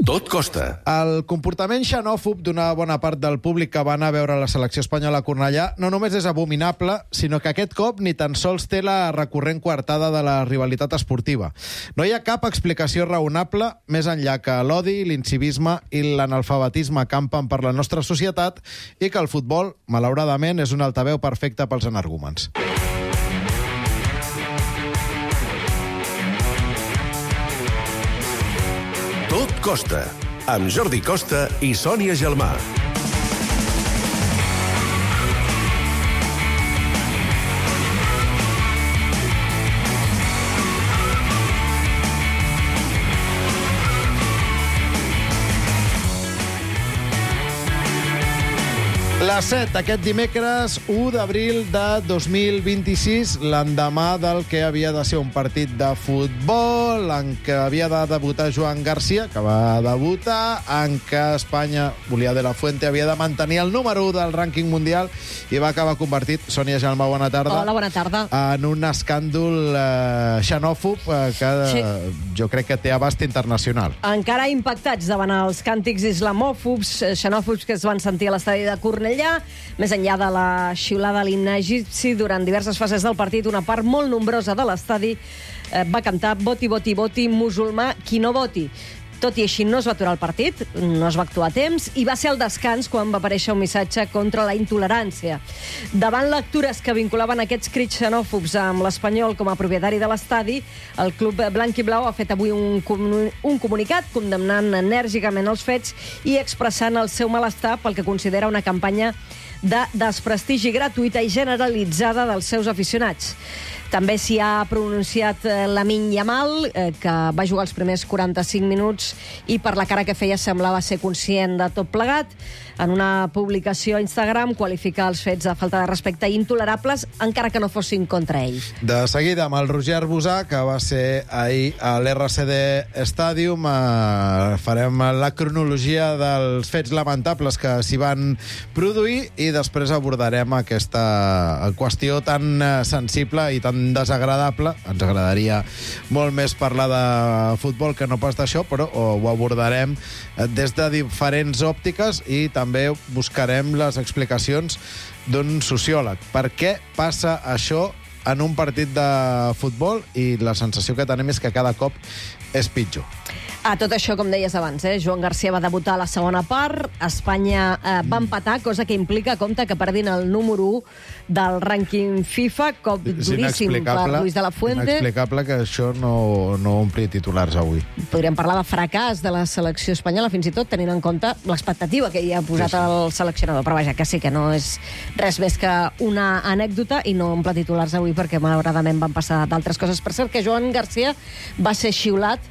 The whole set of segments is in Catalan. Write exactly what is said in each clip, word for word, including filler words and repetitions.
Tot costa. El comportament xenòfob d'una bona part del públic que va anar a veure la selecció espanyola a Cornellà no només és abominable, sinó que aquest cop ni tan sols té la recurrent coartada de la rivalitat esportiva. No hi ha cap explicació raonable més enllà que l'odi, l'incivisme i l'analfabetisme campen per la nostra societat i que el futbol, malauradament, és un altaveu perfecte pels energúmens. Tot costa, amb Jordi Costa i Sònia Gelmà. Les set, aquest dimecres, u d'abril de dos mil vint-i-sis, l'endemà del que havia de ser un partit de futbol, en què havia de debutar Joan Garcia, que va debutar, en què Espanya, volia de la Fuente, havia de mantenir el número u del rànquing mundial i va acabar convertit, Sònia Gelmà, bona tarda. Hola, bona tarda. En un escàndol eh, xenòfob eh, que sí. eh, jo crec que té abast internacional. Encara impactats davant els càntics islamòfobs, xenòfobs que es van sentir a l'estadi de Cornellà, més enllà de la xiulada a l'himne egipci, durant diverses fases del partit, una part molt nombrosa de l'estadi eh, va cantar "Voti, voti, voti, musulmà, qui no voti". Tot i així no es va aturar el partit, no es va actuar a temps, i va ser al descans quan va aparèixer un missatge contra la intolerància. Davant lectures que vinculaven aquests crits xenòfobs amb l'Espanyol com a propietari de l'estadi, el club blanc i blau ha fet avui un, un comunicat condemnant enèrgicament els fets i expressant el seu malestar pel que considera una campanya de desprestigi gratuïta i generalitzada dels seus aficionats. També s'hi ha pronunciat Lamine Yamal, eh, que va jugar els primers quaranta-cinc minuts i per la cara que feia semblava ser conscient de tot plegat. En una publicació a Instagram qualifica els fets de falta de respecte intolerables, encara que no fossin contra ell. De seguida, amb el Roger Arbusà, que va ser ahir a l'R C D Stadium, eh, farem la cronologia dels fets lamentables que s'hi van produir i després abordarem aquesta qüestió tan sensible i tan desagradable. Ens agradaria molt més parlar de futbol que no pas d'això, però ho abordarem des de diferents òptiques i també buscarem les explicacions d'un sociòleg. Per què passa això en un partit de futbol? I la sensació que tenim és que cada cop és pitjor. A tot això, com deies abans, eh? Joan Garcia va debutar a la segona part, Espanya eh, va empatar, cosa que implica, compte, que perdin el número u del rànquing FIFA, cop duríssim per Luis de la Fuente. Inexplicable que això no, no ompli titulars avui. Podríem parlar de fracàs de la selecció espanyola, fins i tot tenint en compte l'expectativa que hi ha posat sí, sí. el seleccionador. Però vaja, que sí que no és res més que una anècdota i no omple titulars avui perquè malauradament van passar d'altres coses. Per cert, que Joan Garcia va ser xiulat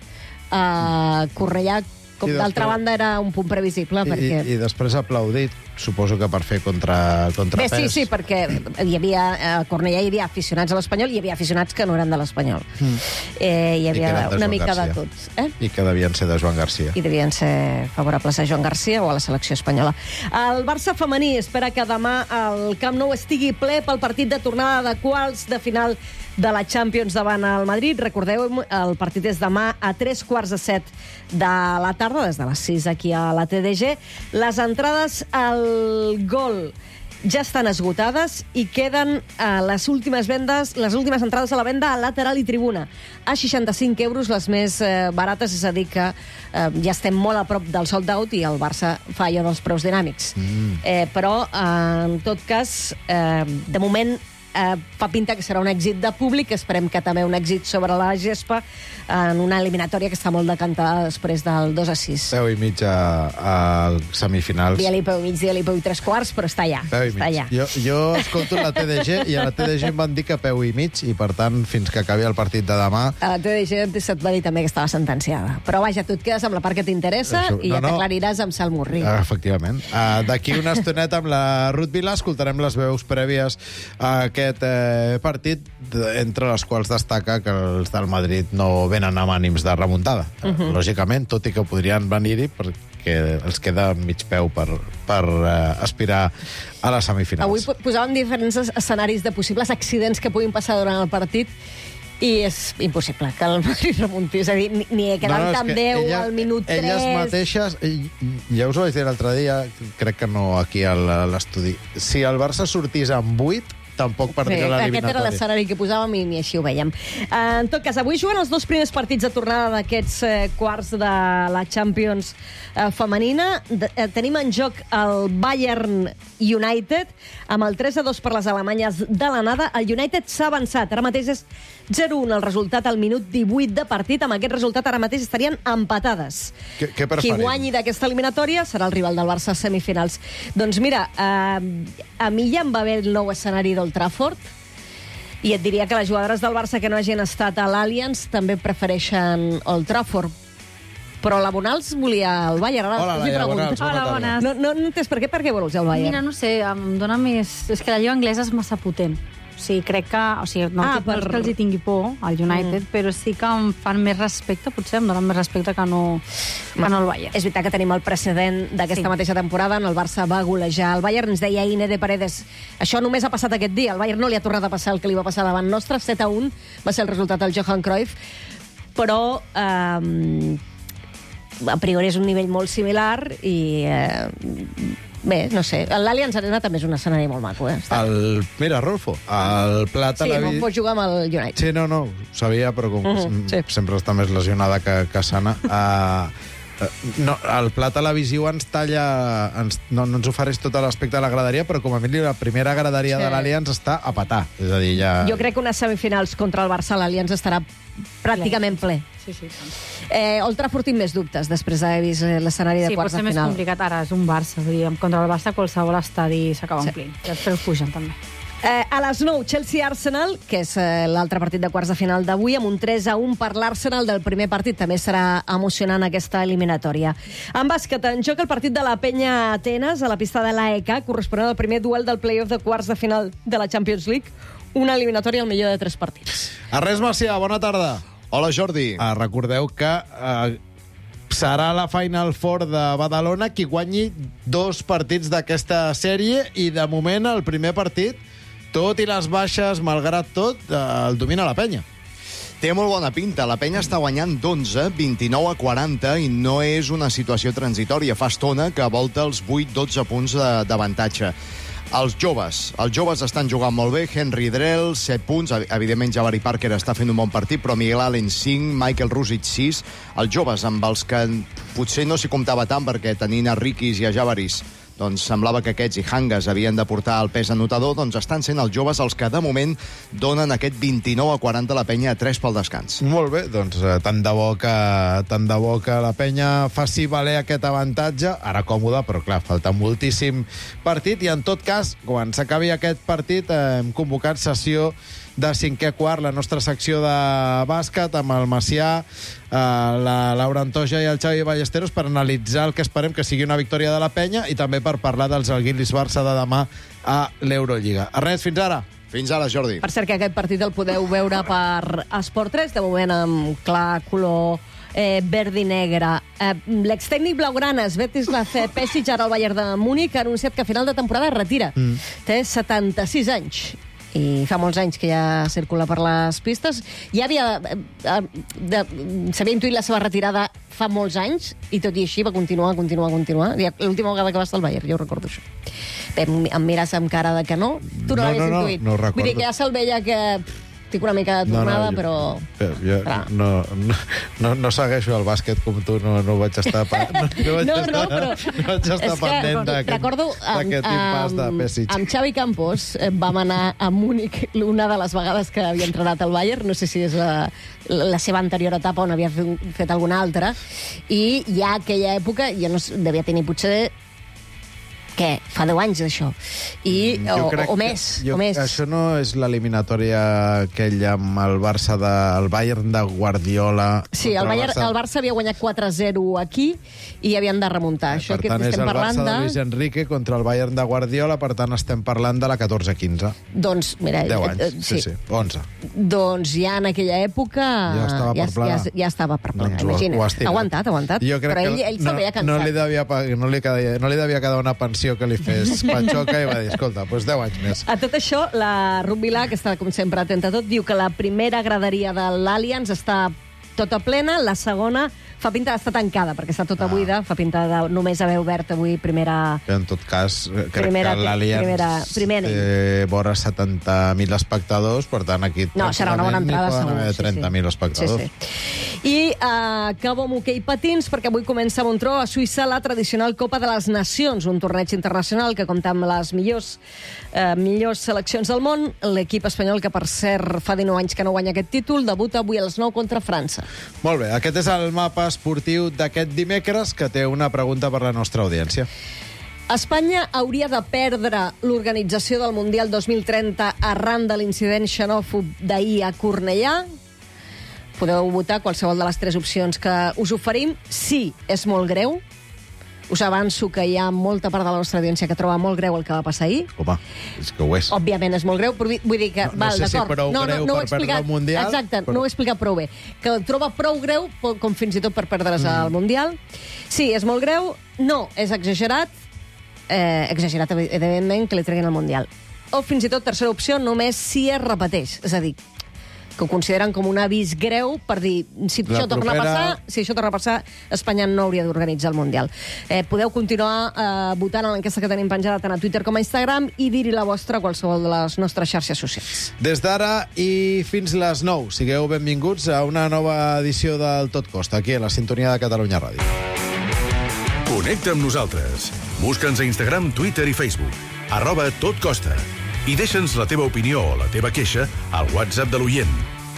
a Cornellà, com d'altra banda era un punt previsible. I, perquè... i, I després aplaudit, suposo que per fer contra, contrapès. Bé, sí, sí, perquè hi havia, a Cornellà hi havia aficionats a l'Espanyol i hi havia aficionats que no eren de l'Espanyol. Mm. Eh, hi havia una mica Garcia. de tots. Eh? I que devien ser de Joan Garcia. I devien ser favorables a Joan Garcia o a la selecció espanyola. El Barça femení espera que demà el Camp Nou estigui ple pel partit de tornada de quarts de final de la Champions davant el Madrid. Recordeu, el partit és demà a tres quarts de set de la tarda, des de les sis aquí a la T D G. Les entrades al gol ja estan esgotades i queden eh, les últimes vendes, les últimes entrades a la venda a lateral i tribuna. A seixanta-cinc euros, les més eh, barates, és a dir que eh, ja estem molt a prop del sold out i el Barça fa allò dels preus dinàmics. Mm. Eh, però, eh, en tot cas, eh, de moment eh, fa pinta que serà un èxit de públic, esperem que també un èxit sobre la gespa en una eliminatòria que està molt decantada després del dos a sis. Peu i mig a, a semifinals. Dia-li peu i mig, dia-li peu i tres quarts, però està allà. Peu i està mig. allà. Jo, jo escolto la T D G i a la T D G em van dir que peu i mig i, per tant, fins que acabi el partit de demà... A la T D G se't va dir també que estava sentenciada. Però vaja, tu et quedes amb la part que t'interessa Això, i no, ja no. t'aclariràs amb Sal Murri. Uh, efectivament. Uh, D'aquí una estoneta amb la Ruth Vila escoltarem les veus prèvies a aquest eh, partit, entre les quals destaca que els del Madrid no venen amb ànims de remuntada. Uh -huh. Lògicament, tot i que podrien venir-hi perquè els queda mig peu per, per uh, aspirar a les semifinals. Avui posàvem diferents escenaris de possibles accidents que puguin passar durant el partit I és impossible que el Madrid remunti. És a dir, ni, ni quedant no, no, amb deu ella, al minut tres... Elles mateixes, ja us ho vaig dir l'altre dia, crec que no aquí a l'estudi, si el Barça sortís amb vuit, tampoc perdria l'eliminatòria. Aquest era l'escenari que posàvem i ni així ho veiem. Uh, en tot cas, avui juguen els dos primers partits de tornada d'aquests uh, quarts de la Champions uh, femenina. De, uh, tenim en joc el Bayern United, amb el tres a dos per les alemanyes de l'anada. El United s'ha avançat. Ara mateix és zero a un el resultat al minut divuit de partit. Amb aquest resultat ara mateix estarien empatades. Què, què Qui guanyi d'aquesta eliminatòria serà el rival del Barça a semifinals. Doncs mira, uh, a mi ja em va bé el nou escenari d'Old Trafford i et diria que les jugadores del Barça que no hagin estat a l'Allianz també prefereixen Old Trafford. Però la Bonals volia el Bayern. Ara Hola, Laia Bonals. Hola, bones. No, no, no entens per què, per què vols el Bayern? Mira, no sé, em dóna més... És que la lliga anglesa és massa potent. O sigui, crec que... O sigui, no, Ah, ah, per- no és que els hi tingui por, al United, mm. però sí que em fan més respecte, potser em donen més respecte que no, que no el Bayern. És veritat que tenim el precedent d'aquesta Sí. mateixa temporada on el Barça va golejar el Bayern. Ens deia Ine de Paredes, això només ha passat aquest dia. El Bayern no li ha tornat a passar el que li va passar davant nostre. set a un va ser el resultat del Johan Cruyff. Però... Eh, a priori és un nivell molt similar i... Eh, bé, no sé. L'Allianz Arena també és un escenari molt maco, eh? Està... El, mira, Rolfo, el Pla Sí, no Televi... pots jugar amb el United. Sí, no, no, ho sabia, però com Mhm, mm sí. sempre està més lesionada que, que sana. Uh, no, el pla televisiu ens talla... Ens, no, no ens ofereix tot l'aspecte de la graderia, però com a mínim la primera graderia Sí. de l'Allianz està a petar. És a dir, ja... Jo crec que unes semifinals contra el Barça l'Allianz estarà pràcticament ple. Sí, sí. Eh, Old Trafford tinc més dubtes després d'haver vist eh, l'escenari de Sí, pot quarts de ser més final. complicat. Ara és un Barça, vull dir, contra el Barça qualsevol estadi s'acaba Sí. omplint. I després pugen, també. Eh, a les nou, Chelsea-Arsenal, que és eh, l'altre partit de quarts de final d'avui, amb un tres a un per l'Arsenal del primer partit. També serà emocionant aquesta eliminatòria. En bàsquet, en joc el partit de la Penya Atenes a la pista de l'A E K, corresponent al primer duel del play-off de quarts de final de la Champions League, una eliminatòria al millor de tres partits. Ernest Macià, bona tarda. Hola, Jordi. Uh, recordeu que uh, serà la Final Four de Badalona qui guanyi dos partits d'aquesta sèrie i, de moment, el primer partit, tot i les baixes, malgrat tot, uh, el domina la penya. Té molt bona pinta. La penya està guanyant d'onze, vint-i-nou a quaranta, i no és una situació transitòria. Fa estona que volta els vuit dotze punts de- d'avantatge. Els joves. Els joves estan jugant molt bé. Henry Drell, set punts. Evidentment, Jabari Parker està fent un bon partit, però Miguel Allen, cinc, Michael Rusic, sis. Els joves, amb els que potser no s'hi comptava tant, perquè tenint a Rikis i a Javaris, doncs semblava que aquests i Hangas havien de portar el pes anotador, doncs estan sent els joves els que, de moment, donen aquest vint-i-nou a quaranta la penya a tres pel descans. Molt bé, doncs eh, tant de bo que, tant de bo que la penya faci valer aquest avantatge. Ara còmode, però clar, falta moltíssim partit i en tot cas, quan s'acabi aquest partit, eh, hem convocat sessió de cinquè quart, la nostra secció de bàsquet, amb el Macià, eh, la Laura Antoja i el Xavi Ballesteros, per analitzar el que esperem que sigui una victòria de la penya i també per parlar dels Alguiris-Barça de demà a l'Eurolliga. Ernest, fins ara. Fins ara, Jordi. Per cert, que aquest partit el podeu veure per Esport tres, de moment amb clar color eh, verd i negre. Eh, L'extècnic blaugrana, Svetislav Pesic, ara al Bayern de Múnich, ha anunciat que a final de temporada es retira. Mm. Té setanta-sis anys i fa molts anys que ja circula per les pistes. Ja havia... Eh, eh, s'havia intuït la seva retirada fa molts anys i tot i així va continuar, continuar, continuar. L'última vegada que va estar al Bayern, jo recordo això. Bé, em, em mires amb cara de que no. Tu no, No, l'havies no, no, intuït. no ho recordo. Vull dir que ja se'l veia que... Pff, estic una mica de tornada, jo, però... però jo Clar. no, no, no, no segueixo el bàsquet com tu, no, no vaig estar... Pa, no, no, vaig No, estar, no, però... no vaig estar és que pendent d'aquest recordo, d'aquest impàs de Pesic. amb Xavi Campos eh, vam anar a Múnich una de les vegades que havia entrenat al Bayern, no sé si és la, la seva anterior etapa on havia fet, fet alguna altra, i ja aquella època, jo no sé, devia tenir potser què? Fa deu anys d'això. I, Jo o, crec o que- més, jo, o més. Això no és l'eliminatòria aquella amb el Barça de, el Bayern de Guardiola. Sí, el, contra Bayern, el Barça havia guanyat quatre a zero aquí i havien de remuntar. Això Per que tant, és estem el parlant Barça de de... Luis Enrique contra el Bayern de Guardiola, per tant, estem parlant de la catorze quinze. Doncs, mira... deu eh, anys, eh, sí, sí, onze. Doncs ja en aquella època... Ja estava per ja, plegar. ja, ja estava per plegar, Doncs ho- imagina't. ho ha estirat. Ha aguantat, ha aguantat. Jo crec Però que ell, ell se'l no, veia cansat. no, li devia, pa- no, li quedia, no li devia quedar una pensió operació que li fes Pachoca i va dir, escolta, doncs deu anys més. A tot això, la Ruth Vilà, que està, com sempre, atenta a tot, diu que la primera graderia de l'Allianz està tota plena, la segona fa pinta d'estar tancada, perquè està tota Ah. buida, fa pinta de només haver obert avui primera... En tot cas, crec Primera- que l'Allianz primera- primer anell. té vora setanta mil espectadors, per tant, aquí... No, serà una bona entrada, segur. segur. Haver trenta mil espectadors. Sí, sí. I uh, acabo amb hoquei patins, perquè avui comença a Montreux, a Suïssa, la tradicional Copa de les Nacions, un torneig internacional que compta amb les millors, uh, millors seleccions del món. L'equip espanyol, que per cert fa dinou anys que no guanya aquest títol, debuta avui a les nou contra França. Molt bé, aquest és el mapa esportiu d'aquest dimecres, que té una pregunta per la nostra audiència. Espanya hauria de perdre l'organització del Mundial dos mil trenta arran de l'incident xenòfob d'ahir a Cornellà? Podeu votar qualsevol de les tres opcions que us oferim. Sí, és molt greu. Us avanço que hi ha molta part de la nostra audiència que troba molt greu el que va passar ahir. Home, és que ho és. Òbviament és molt greu, però vull dir que... No- no val, sé si d'acord. prou greu ho he per perdre explicat. el Mundial, Exacte, però- no ho he explicat prou bé. Que el troba prou greu, po- com fins i tot per perdre's Mm. el Mundial. Sí, és molt greu. No, és exagerat. Eh, exagerat, evidentment, que li treguin el Mundial. O fins i tot, tercera opció, només si es repeteix. És a dir, que ho consideren com un avís greu per dir, si La això torna a propera- passar, si això torna a passar, Espanya no hauria d'organitzar el Mundial. Eh, podeu continuar eh, votant a l'enquesta que tenim penjada tant a Twitter com a Instagram i dir-hi la vostra a qualsevol de les nostres xarxes socials. Des d'ara i fins les nou, sigueu benvinguts a una nova edició del Tot Costa, aquí a la sintonia de Catalunya Ràdio. Connecta amb nosaltres. Busca'ns a Instagram, Twitter i Facebook. Arroba Tot Costa. I deixa'ns la teva opinió o la teva queixa al WhatsApp de l'oient.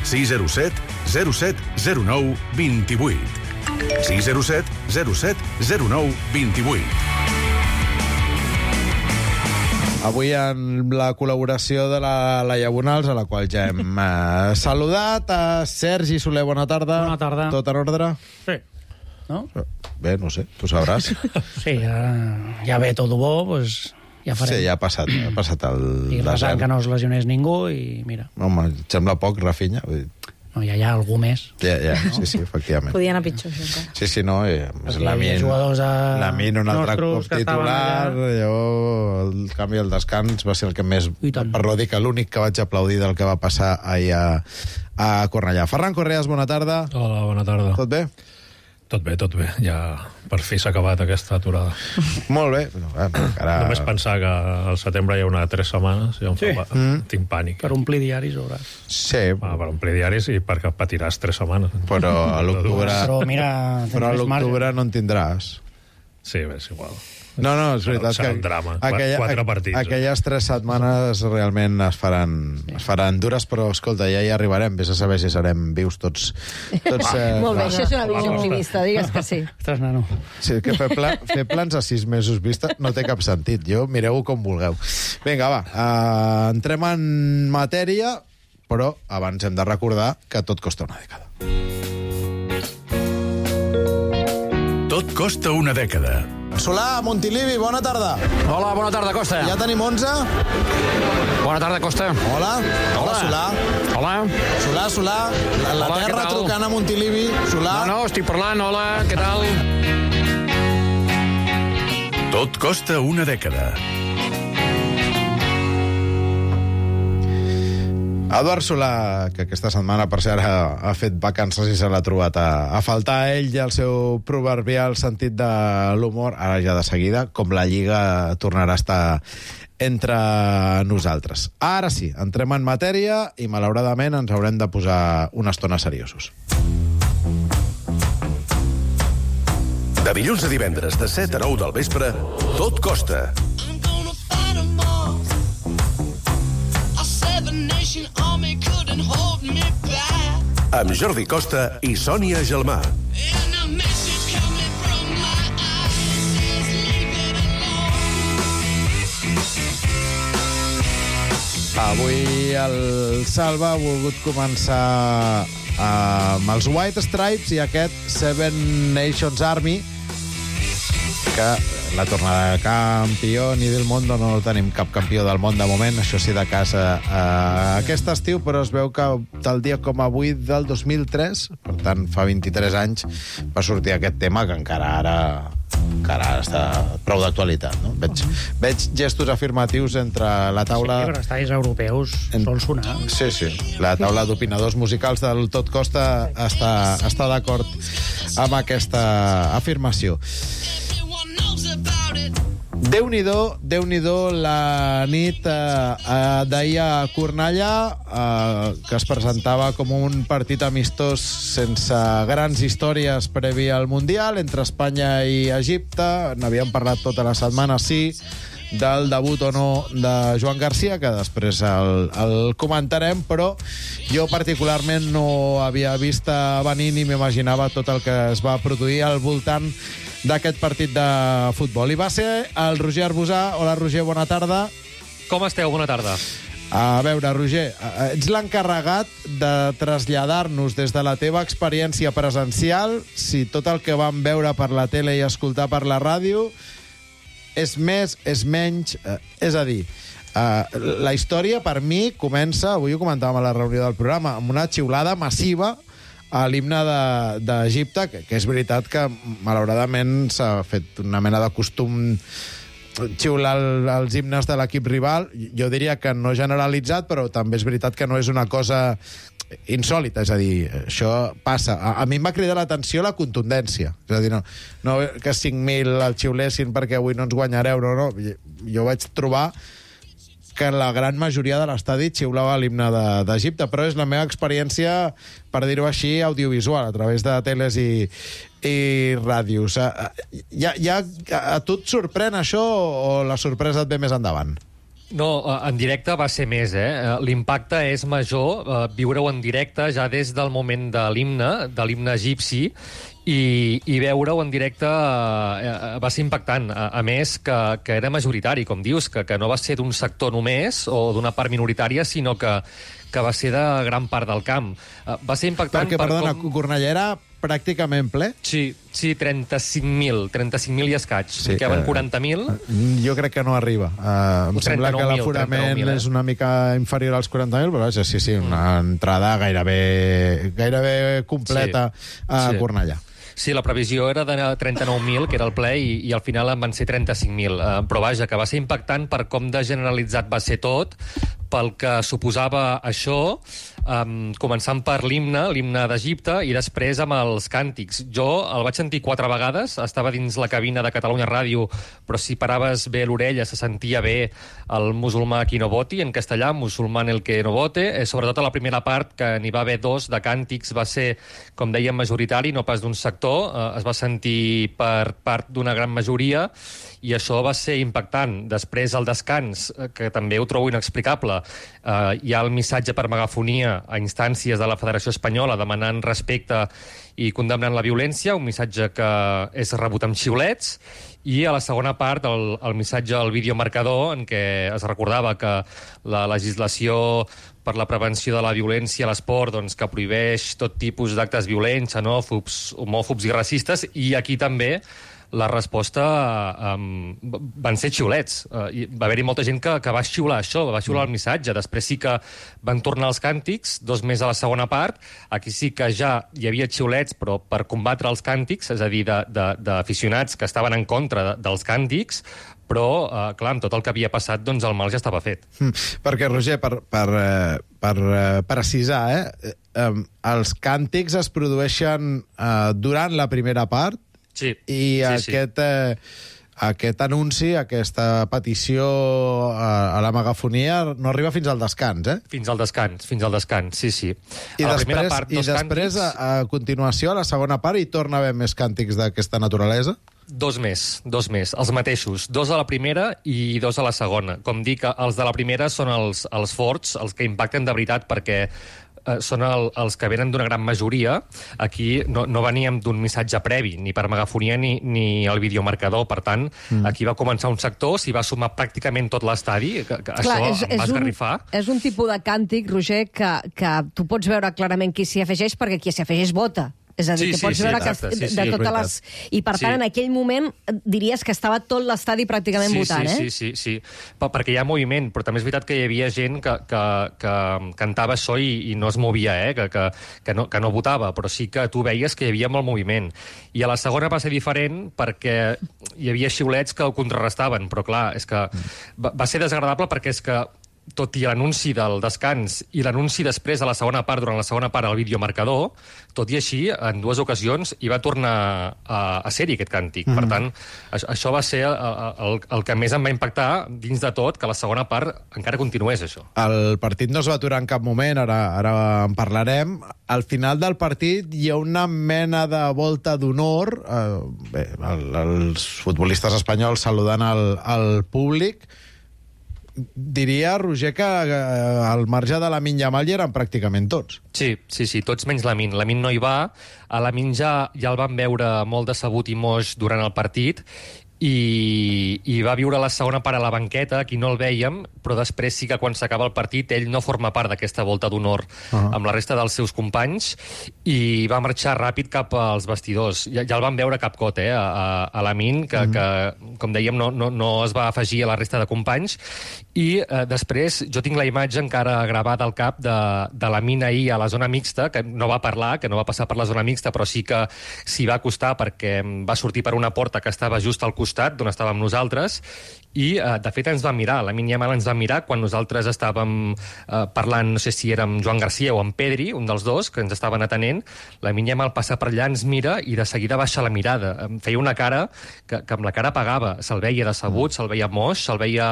sis zero set zero set zero nou dos vuit. sis zero set zero set zero nou dos vuit. Avui amb la col·laboració de la Laia Bonals, a la qual ja hem eh, saludat. A Sergi Soler, bona tarda. Bona tarda. Tot en ordre? Sí. ¿No? Bé, no sé, tu sabràs. Sí, ja, ja ve tot bo, pues ja farem. Sí, ja ha passat, ha passat el I resant desert. que no es lesionés ningú i mira, Home, em sembla poc, Rafinha. Vull dir, no, ja hi ha algú més. Ja, ja, sí, sí, efectivament. Podia anar pitjor, això encara. Sí, sí, no, eh, Perquè la hi ha Min, jugadors a- la Min un altre nostres cop que estaven titular, allà. llavors, el canvi al descans va ser el que més... I tant. Per no dir que l'únic que vaig aplaudir del que va passar ahir a, a Cornellà. Ferran Correas, bona tarda. Hola, bona tarda. Tot bé? Tot bé, tot bé. Ja per fi s'ha acabat aquesta aturada. Molt bé. No, eh, encara... Només pensar que al setembre hi ha una tres setmanes ja em Sí. fa... Mm. Tinc pànic. Per omplir diaris veuràs. Sí, Ah, per omplir diaris i perquè patiràs tres setmanes. però a l'octubre... Però mira, Però a tens marge. l'octubre no en tindràs. Sí, bé, és igual. No, no, és Serà- veritat serà que... un drama. Quatre partits, eh? Aquelles tres setmanes realment es faran, es faran dures, però, escolta, ja hi arribarem. Vés a saber si serem vius tots. tots eh, Molt bé, clar. això és una visió optimista, digues que sí. Ostres, nano. Sí, que fer, pla, fer plans a sis mesos vista no té cap sentit. Jo, mireu-ho com vulgueu. Vinga, va, uh, entrem en matèria, però abans hem de recordar que tot costa una dècada. Tot costa una dècada. Solà, Montilivi, bona tarda. Hola, bona tarda, Costa. Ja tenim onze? Bona tarda, Costa. Hola. Hola, Solà. Hola. Solà, Solà. La, la Hola, terra què tal? trucant a Montilivi. Solà. No, no, estic parlant. Hola, què tal? Tot costa una dècada. Eduard Solà, que aquesta setmana, per cert, ha, ha fet vacances i se l'ha trobat a, a faltar a ell i el seu proverbial sentit de l'humor, ara ja de seguida, com la Lliga tornarà a estar entre nosaltres. Ara sí, entrem en matèria i, malauradament, ens haurem de posar una estona seriosos. De dilluns a divendres, de set a nou del vespre, Tot costa. I'm gonna fight 'em all. I said the nation army couldn't hold me back. Amb Jordi Costa i Sònia Gelmà. And a message coming from my eyes says leave it alone. Avui el Salva ha volgut començar amb els White Stripes i aquest Seven Nations Army, que la tornada de campió ni del món, no tenim cap campió del món de moment, això sí, de casa eh, aquest estiu, però es veu que tal dia com avui del dos mil tres, per tant fa vint-i-tres anys, va sortir aquest tema que encara ara que ara està prou d'actualitat, no? Veig, veig gestos afirmatius entre la taula... Sí, però els estadis europeus en... sol sonar. Sí, sí. La taula d'opinadors musicals del Tot Costa està, està d'acord amb aquesta afirmació. Déu-n'hi-do, Déu-n'hi-do la nit eh, d'ahir a Cornellà, eh, que es presentava com un partit amistós sense grans històries previ al Mundial entre Espanya i Egipte. N'havíem parlat tota la setmana, sí, del debut o no de Joan Garcia, que després el, el comentarem, però jo particularment no havia vist venir ni m'imaginava tot el que es va produir al voltant d'aquest partit de futbol. I va ser el Roger Arbusà. Hola, Roger, bona tarda. Com esteu? Bona tarda. A veure, Roger, ets l'encarregat de traslladar-nos des de la teva experiència presencial si tot el que vam veure per la tele i escoltar per la ràdio és més, és menys... Eh, és a dir, eh, la història, per mi, comença, avui ho comentàvem a la reunió del programa, amb una xiulada massiva a l'himne d'Egipte, que, que és veritat que, malauradament, s'ha fet una mena de costum xiular el, els himnes de l'equip rival. Jo diria que no generalitzat, però també és veritat que no és una cosa insòlita, és a dir, això passa. A, a mi em va cridar l'atenció la contundència. És a dir, no, no que cinc mil el xiulessin perquè avui no ens guanyareu, no, no. Jo vaig trobar que la gran majoria de l'estadi xiulava l'himne d'Egipte, però és la meva experiència, per dir-ho així, audiovisual, a través de teles i, i ràdios. Ja, ja, a tu et sorprèn això o la sorpresa et ve més endavant? No, en directe va ser més, eh? L'impacte és major, eh, viure-ho en directe ja des del moment de l'himne, de l'himne egipci, i, i veure-ho en directe eh, va ser impactant. A, a més, que, que era majoritari, com dius, que, que no va ser d'un sector només o d'una part minoritària, sinó que, que va ser de gran part del camp. Uh, va ser impactant... Perquè, per perdona, com... Cornellà era pràcticament ple? Sí, sí, trenta-cinc mil, trenta-cinc mil i escaig. Sí, en queden quaranta mil. Jo crec que no arriba. Uh, em sembla que l'aforament eh? és una mica inferior als quaranta mil, però vaja, sí, sí, una mm. entrada gairebé, gairebé completa sí, a sí. Cornellà. Sí, la previsió era de trenta-nou mil, que era el ple, i, i al final en van ser trenta-cinc mil. Uh, però vaja, que va ser impactant per com de generalitzat va ser tot, pel que suposava això, um, començant per l'himne, l'himne d'Egipte, i després amb els càntics. Jo el vaig sentir quatre vegades, estava dins la cabina de Catalunya Ràdio, però si paraves bé l'orella se sentia bé el musulmà qui no voti, en castellà, musulmán el que no vote. Eh, sobretot a la primera part, que n'hi va haver dos de càntics, va ser, com dèiem, majoritari, no pas d'un sector. Eh, es va sentir per part d'una gran majoria, i això va ser impactant. Després, al descans, que també ho trobo inexplicable, eh, hi ha el missatge per megafonia a instàncies de la Federació Espanyola demanant respecte i condemnant la violència, un missatge que és rebut amb xiulets, i a la segona part el, el missatge al videomarcador, en què es recordava que la legislació per la prevenció de la violència a l'esport, doncs, que prohibeix tot tipus d'actes violents, xenòfobs, homòfobs i racistes, i aquí també la resposta um, van ser xiulets. Uh, i va haver-hi molta gent que, que va xiular això, va xiular el missatge. Després sí que van tornar els càntics, dos més a la segona part. Aquí sí que ja hi havia xiulets, però per combatre els càntics, és a dir, d'aficionats que estaven en contra de, dels càntics, però, eh, clar, amb tot el que havia passat, doncs el mal ja estava fet. Mm, perquè, Roger, per, per, per precisar, eh, eh, els càntics es produeixen eh, durant la primera part, sí, i sí, aquest, sí. Eh, aquest anunci, aquesta petició a, a la megafonia no arriba fins al descans, eh? Fins al descans, fins al descans, sí, sí. I a la després, primera part, i després càntics... a, a continuació, a la segona part, hi torna a haver més càntics d'aquesta naturalesa? Dos més, dos més, els mateixos. Dos a la primera i dos a la segona. Com dic, els de la primera són els, els forts, els que impacten de veritat, perquè eh, són el, els que venen d'una gran majoria. Aquí no, no veníem d'un missatge previ, ni per megafonia ni, ni el videomarcador. Per tant, mm. aquí va començar un sector, s'hi va sumar pràcticament tot l'estadi, que, que Clar, això és, em va esgarrifar. Un, és un tipus de càntic, Roger, que, que tu pots veure clarament qui s'hi afegeix, perquè qui s'hi afegeix vota. És a dir, Sí, que sí, pots sí, veure exacte, que sí, de sí, és totes les... I, per tant, Sí. en aquell moment diries que estava tot l'estadi pràcticament sí, votant, sí, eh? Sí, sí, sí, per, perquè hi ha moviment, però també és veritat que hi havia gent que, que, que cantava això i, i no es movia, eh? que, que, que, no, que no votava, però sí que tu veies que hi havia molt moviment. I a la segona va ser diferent perquè hi havia xiulets que ho contrarrestaven, però clar, és que va, va ser desagradable perquè és que tot i l'anunci del descans i l'anunci després a la segona part, durant la segona part, al videomarcador, tot i així, en dues ocasions, hi va tornar a, a ser-hi aquest càntic. Mm. Per tant, això, això va ser el, el, el que més em va impactar dins de tot, que la segona part encara continués, això. El partit no es va aturar en cap moment, ara, ara en parlarem. Al final del partit hi ha una mena de volta d'honor, eh, bé, el, els futbolistes espanyols saludant el, el públic. Diria, Roger, que al marge de Lamine Yamal hi eren pràcticament tots. Sí, sí, sí, tots menys Lamine. Lamine no hi va. A Lamine ja, ja el van veure molt decebut i moix durant el partit i, i va viure la segona part a la banqueta, aquí no el vèiem, però després sí que quan s'acaba el partit ell no forma part d'aquesta volta d'honor uh-huh. amb la resta dels seus companys i va marxar ràpid cap als vestidors. Ja, ja el van veure cap cot, eh, a, a Lamine, que, uh-huh. que, com dèiem, no, no, no es va afegir a la resta de companys. I eh, després jo tinc la imatge encara gravada al cap de, de Lamine ahir a la zona mixta, que no va parlar, que no va passar per la zona mixta, però sí que s'hi va acostar perquè va sortir per una porta que estava just al costat d'on estàvem nosaltres i, eh, de fet, ens va mirar. Lamine Yamal ens va mirar quan nosaltres estàvem eh, parlant, no sé si érem Joan Garcia o en Pedri, un dels dos, que ens estaven atenent. Lamine Yamal passa per allà, ens mira i de seguida baixa la mirada. Em feia una cara que, que amb la cara pagava. Se'l veia decebut, se'l veia moix, se'l veia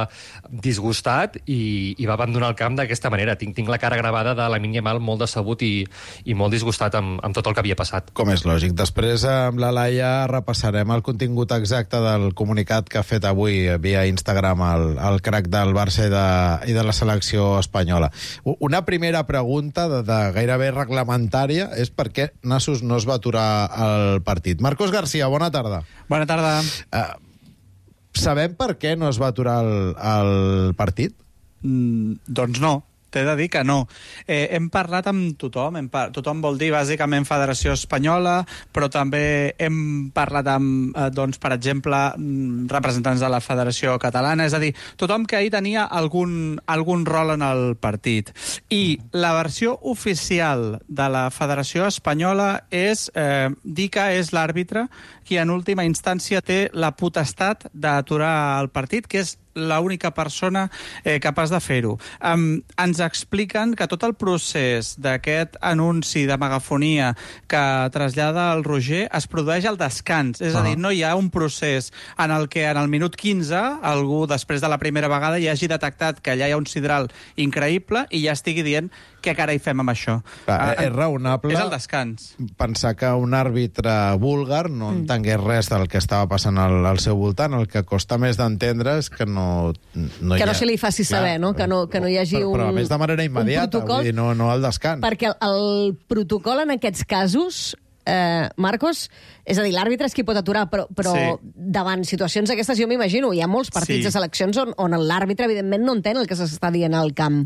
disgustat i, i va abandonar el camp d'aquesta manera. Tinc, tinc la cara gravada de Lamine Yamal molt decebut i, i molt disgustat amb, amb tot el que havia passat. Com és lògic. Després, amb la Laia, repassarem el contingut exacte del comunicat que ha fet avui via Instagram el, el crac del Barça i de, i de la selecció espanyola. Una primera pregunta de, de gairebé reglamentària és per què Nassos no es va aturar el partit. Marcos García, bona tarda. Bona tarda. Uh, sabem per què no es va aturar el, el partit? Mm, doncs no. T'he de dir que no. Eh, hem parlat amb tothom, hem par tothom vol dir bàsicament Federació Espanyola, però també hem parlat amb, eh, doncs, per exemple, representants de la Federació Catalana, és a dir, tothom que ahir tenia algun, algun rol en el partit. I la versió oficial de la Federació Espanyola és eh, dir que és l'àrbitre qui en última instància té la potestat d'aturar el partit, que és l'única persona eh, capaç de fer-ho. Um, ens expliquen que tot el procés d'aquest anunci de megafonia que trasllada el Roger es produeix al descans. És a dir, no hi ha un procés en el que en el minut quinze algú, després de la primera vegada, ja hagi detectat que allà hi ha un sidral increïble i ja estigui dient què carai fem amb això. Clar, uh, és raonable és el descans. Pensar que un àrbitre búlgar no mm. entengués res del que estava passant al, al seu voltant. El que costa més d'entendre és que no, no que hi ha... no se li faci saber, no? Que no, que no hi hagi però, un Però a més de manera immediata, vull dir, no, no al descans. Perquè el, el protocol en aquests casos, eh, Marcos, és a dir, l'àrbitre és qui pot aturar, però, però sí. davant situacions d'aquestes, jo m'imagino, hi ha molts partits sí. de seleccions on, on l'àrbitre, evidentment, no entén el que s'està dient al camp.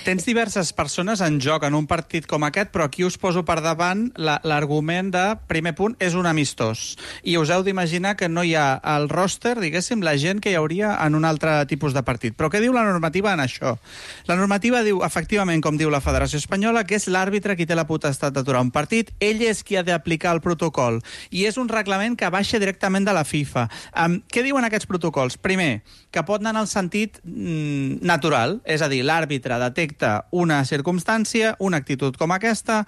Tens diverses persones en joc en un partit com aquest, però aquí us poso per davant l'argument de, primer punt, és un amistós. I us heu d'imaginar que no hi ha al roster, diguéssim, la gent que hi hauria en un altre tipus de partit. Però què diu la normativa en això? La normativa diu, efectivament, com diu la Federació Espanyola, que és l'àrbitre qui té la potestat d'aturar un partit, ell és qui ha d'aplicar el protocol. I és un reglament que baixa directament de la FIFA. Um, què diuen aquests protocols? Primer, que pot anar en el sentit mm, natural, és a dir, l'àrbitre detecta una circumstància, una actitud com aquesta,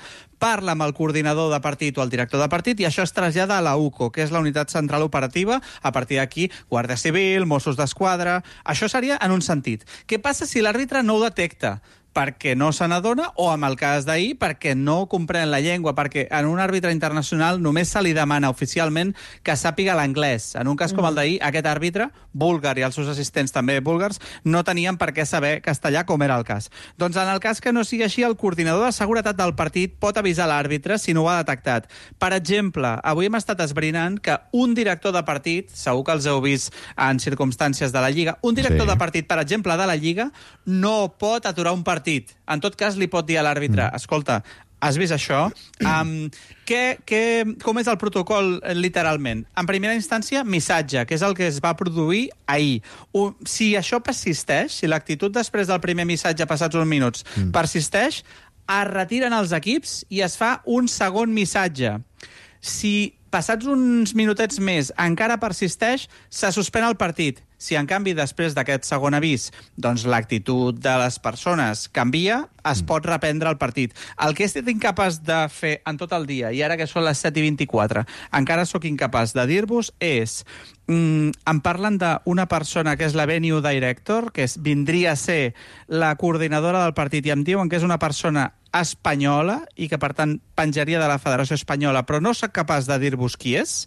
parla amb el coordinador de partit o el director de partit i això es trasllada a la U C O, que és la Unitat Central Operativa, a partir d'aquí Guàrdia Civil, Mossos d'Esquadra... Això seria en un sentit. Què passa si l'àrbitre no ho detecta? Perquè no se n'adona, o amb el cas d'ahir, perquè no comprèn la llengua, perquè en un àrbitre internacional només se li demana oficialment que sàpiga l'anglès. En un cas com el d'ahir, aquest àrbitre, búlgar i els seus assistents també búlgars, no tenien per què saber castellà, com era el cas. Doncs en el cas que no sigui així, el coordinador de seguretat del partit pot avisar l'àrbitre si no ho ha detectat. Per exemple, avui hem estat esbrinant que un director de partit, segur que els heu vist en circumstàncies de la Lliga, un director sí. de partit, per exemple, de la Lliga, no pot aturar un partit. En tot cas, li pot dir a l'àrbitre, escolta, Has vist això? Um, què, què, com és el protocol, literalment? En primera instància, missatge, que és el que es va produir ahir. O, si això persisteix, si l'actitud després del primer missatge passats uns minuts mm. persisteix, es retiren els equips i es fa un segon missatge. Si passats uns minutets més encara persisteix, se suspèn el partit. Si, en canvi, després d'aquest segon avís, doncs l'actitud de les persones canvia, es pot reprendre el partit. El que he estat incapaç de fer en tot el dia, i ara que són les set i vint-i-quatre, encara sóc incapaç de dir-vos, és... Mm, em parlen d'una persona que és la venue director, que és, vindria a ser la coordinadora del partit, i em diuen que és una persona espanyola i que, per tant, penjaria de la Federació Espanyola, però no soc capaç de dir-vos qui és.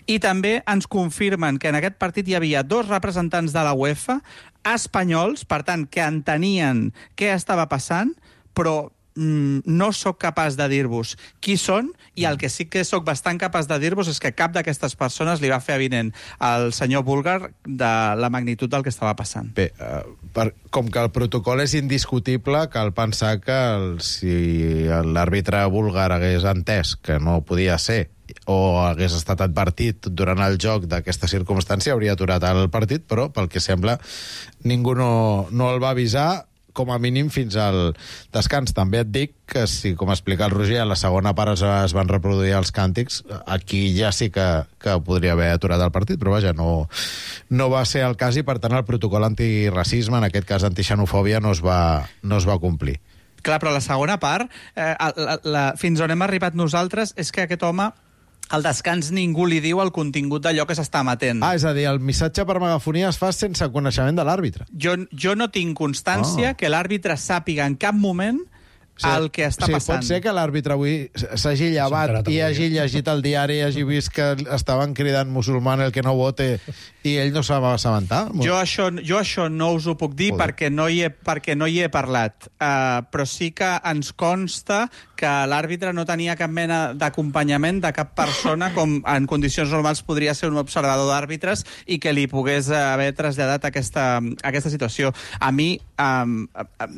I també ens confirmen que en aquest partit hi havia dos representants de la UEFA espanyols, per tant, que entenien què estava passant, però no sóc capaç de dir-vos qui són, i el que sí que sóc bastant capaç de dir-vos és que cap d'aquestes persones li va fer avinent al senyor búlgar de la magnitud del que estava passant. Bé, uh, per, com que el protocol és indiscutible, cal pensar que el, si l'àrbitre búlgar hagués entès que no podia ser o hagués estat advertit durant el joc d'aquesta circumstància, hauria aturat el partit, però pel que sembla ningú no, no el va avisar, com a mínim fins al descans. També et dic que, si, com explica el Roger, a la segona part es, es van reproduir els càntics, aquí ja sí que, que podria haver aturat el partit, però vaja, no, no va ser el cas, i per tant el protocol antiracisme, en aquest cas antixenofòbia, no es va, no es va complir. Clar, però la segona part, eh, la, la, fins on hem arribat nosaltres, és que aquest home, al descans, ningú li diu el contingut d'allò que s'està emetent. Ah, és a dir, el missatge per megafonia es fa sense coneixement de l'àrbitre. Jo, jo no tinc constància oh. que l'àrbitre sàpiga en cap moment sí, el que està sí, passant. Pot ser que l'àrbitre avui s'hagi llevat i hagi llegit el diari i hagi vist que estaven cridant musulman el que no vote i ell no se va assabentar. Jo això, jo això no us ho puc dir perquè no, hi he, perquè no hi he parlat, uh, però sí que ens consta que l'àrbitre no tenia cap mena d'acompanyament de cap persona, com en condicions normals podria ser un observador d'àrbitres, i que li pogués haver traslladat aquesta, aquesta situació. A mi, um, um,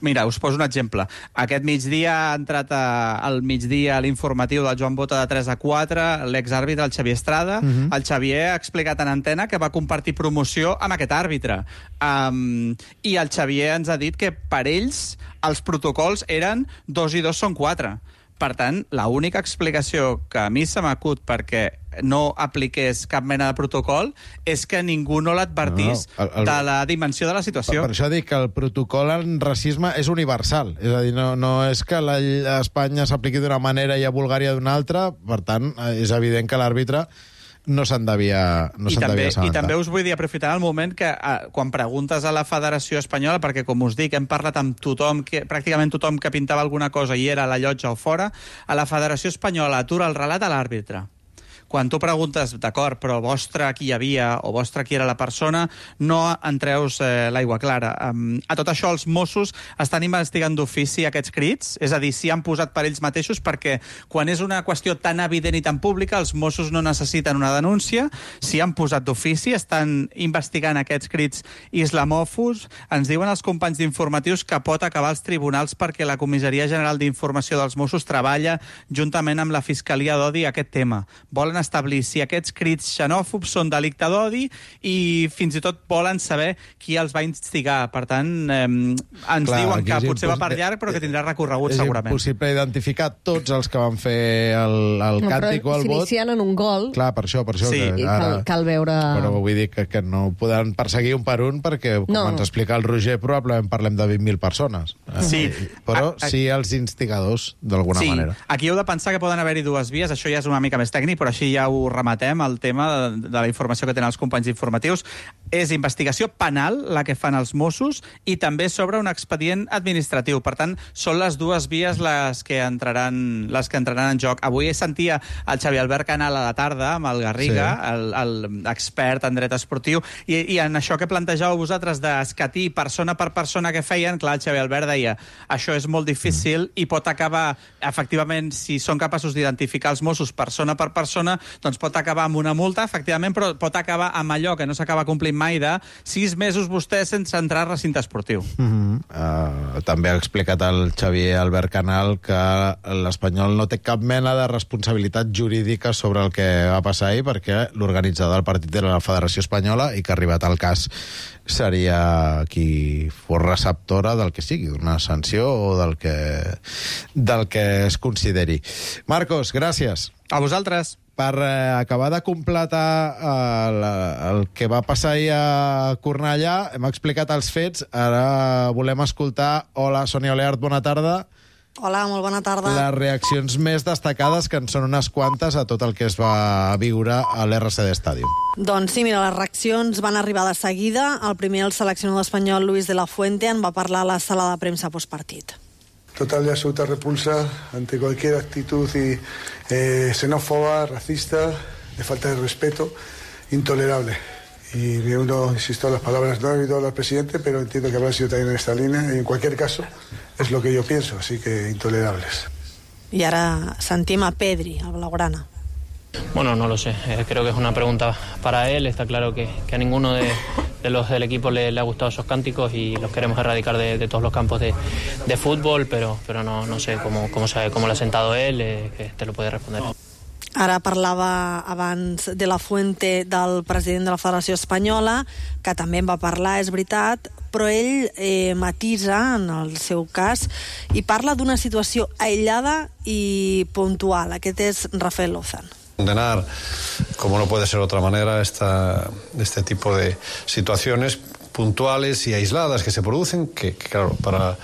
mira, us poso un exemple. Aquest migdia ha entrat a, al migdia l'informatiu del Joan Bota de tres a quatre, l'exàrbitre, el Xavier Estrada. Uh-huh. El Xavier ha explicat en antena que va compartir promoció amb aquest àrbitre. Um, I el Xavier ens ha dit que per ells els protocols eren dos i dos són quatre. Per tant, l'única explicació que a mi se m'acut perquè no apliqués cap mena de protocol és que ningú no l'advertís no, no. El, el... de la dimensió de la situació. Per, per això dic que el protocol en racisme és universal. És a dir, no, no és que la, a Espanya s'apliqui d'una manera i a Bulgària d'una altra. Per tant, és evident que l'àrbitre no se'n devia, no I, se'n també, devia assabentar. I també us vull dir, aprofitar el moment que eh, quan preguntes a la Federació Espanyola, perquè, com us dic, hem parlat amb tothom, que, pràcticament tothom que pintava alguna cosa i era a la llotja o fora, a la Federació Espanyola atura el relat a l'àrbitre. Quan tu preguntes, d'acord, però vostre qui hi havia o vostre qui era la persona, no entreus eh, l'aigua clara. Um, a tot això, els Mossos estan investigant d'ofici aquests crits, és a dir, si han posat per ells mateixos, perquè quan és una qüestió tan evident i tan pública, els Mossos no necessiten una denúncia. Si han posat d'ofici, estan investigant aquests crits islamòfobs. Ens diuen els companys d'informatius que pot acabar als tribunals perquè la Comissaria General d'Informació dels Mossos treballa juntament amb la Fiscalia d'Odi aquest tema. Volen establir si aquests crits xenòfobs són delicte d'odi i fins i tot volen saber qui els va instigar. Per tant, eh, ens Clar, diuen que potser va per llarg, però que tindrà recorregut és segurament. És impossible identificar tots els que van fer el, el no, càntic o el vot. S'inicien en un gol. Clar, per això, per això. Sí, que ara... cal, cal veure... Però vull dir que, que no podran perseguir un per un perquè, com no. ens explica el Roger, probablement parlem de vint mil persones. Sí. Eh, però a, a... sí els instigadors, d'alguna sí. manera. Aquí heu de pensar que poden haver-hi dues vies, això ja és una mica més tècnic, però així ja ho rematem, el tema de, de la informació que tenen els companys informatius. És investigació penal, la que fan els Mossos, i també sobre un expedient administratiu. Per tant, són les dues vies les que entraran, les que entraran en joc. Avui sentia el Xavier Albert Canal a la tarda, amb el Garriga, sí. l'expert en dret esportiu, i, i en això que plantejàveu vosaltres d'escatir persona per persona que feien, clar, el Xavier Albert deia això és molt difícil mm. i pot acabar, efectivament, si són capaços d'identificar els Mossos persona per persona, Barcelona, doncs pot acabar amb una multa, efectivament, però pot acabar amb allò que no s'acaba complint mai de sis mesos vostè sense entrar a recinte esportiu. Mm-hmm. uh, també ha explicat el Xavier Albert Canal que l'Espanyol no té cap mena de responsabilitat jurídica sobre el que va passar ahir, perquè l'organitzador del partit era la Federació Espanyola i que, arribat al cas, seria qui fos receptora del que sigui, d'una sanció o del que, del que es consideri. Marcos, gràcies. A vosaltres. Per eh, acabar de completar eh, la, el que va passar ahir a Cornellà, hem explicat els fets, ara volem escoltar... Hola, Sònia Oleart, bona tarda. Hola, molt bona tarda. Les reaccions més destacades, que en són unes quantes, a tot el que es va viure a l'R C D Stadium. Doncs sí, mira, les reaccions van arribar de seguida. El primer, el seleccionador espanyol Luis de la Fuente, en va parlar a la sala de premsa postpartit. Total y absoluta repulsa ante cualquier actitud y, eh, xenófoba, racista, de falta de respeto, intolerable. Y me uno, insisto, a las palabras, no he oído al presidente, pero entiendo que habrá sido también en esta línea, y en cualquier caso es lo que yo pienso, así que intolerables. Y ahora sentim a Pedri, el blaugrana. Bueno, no lo sé. Eh, creo que es una pregunta para él. Está claro que, que a ninguno de, de los del equipo le, le ha gustado esos cánticos y los queremos erradicar de, de todos los campos de, de fútbol, pero, pero no, no sé cómo, cómo, sabe, cómo le ha sentado él, eh, que te lo puede responder. Ara parlava abans de la Fuente del president de la Federació Espanyola, que també en va parlar, és veritat, però ell eh, matisa en el seu cas i parla d'una situació aïllada i puntual. Aquest és Rafael Lozán. Condenar, como no puede ser de otra manera, esta, este tipo de situaciones puntuales y aisladas que se producen, que, que claro, para,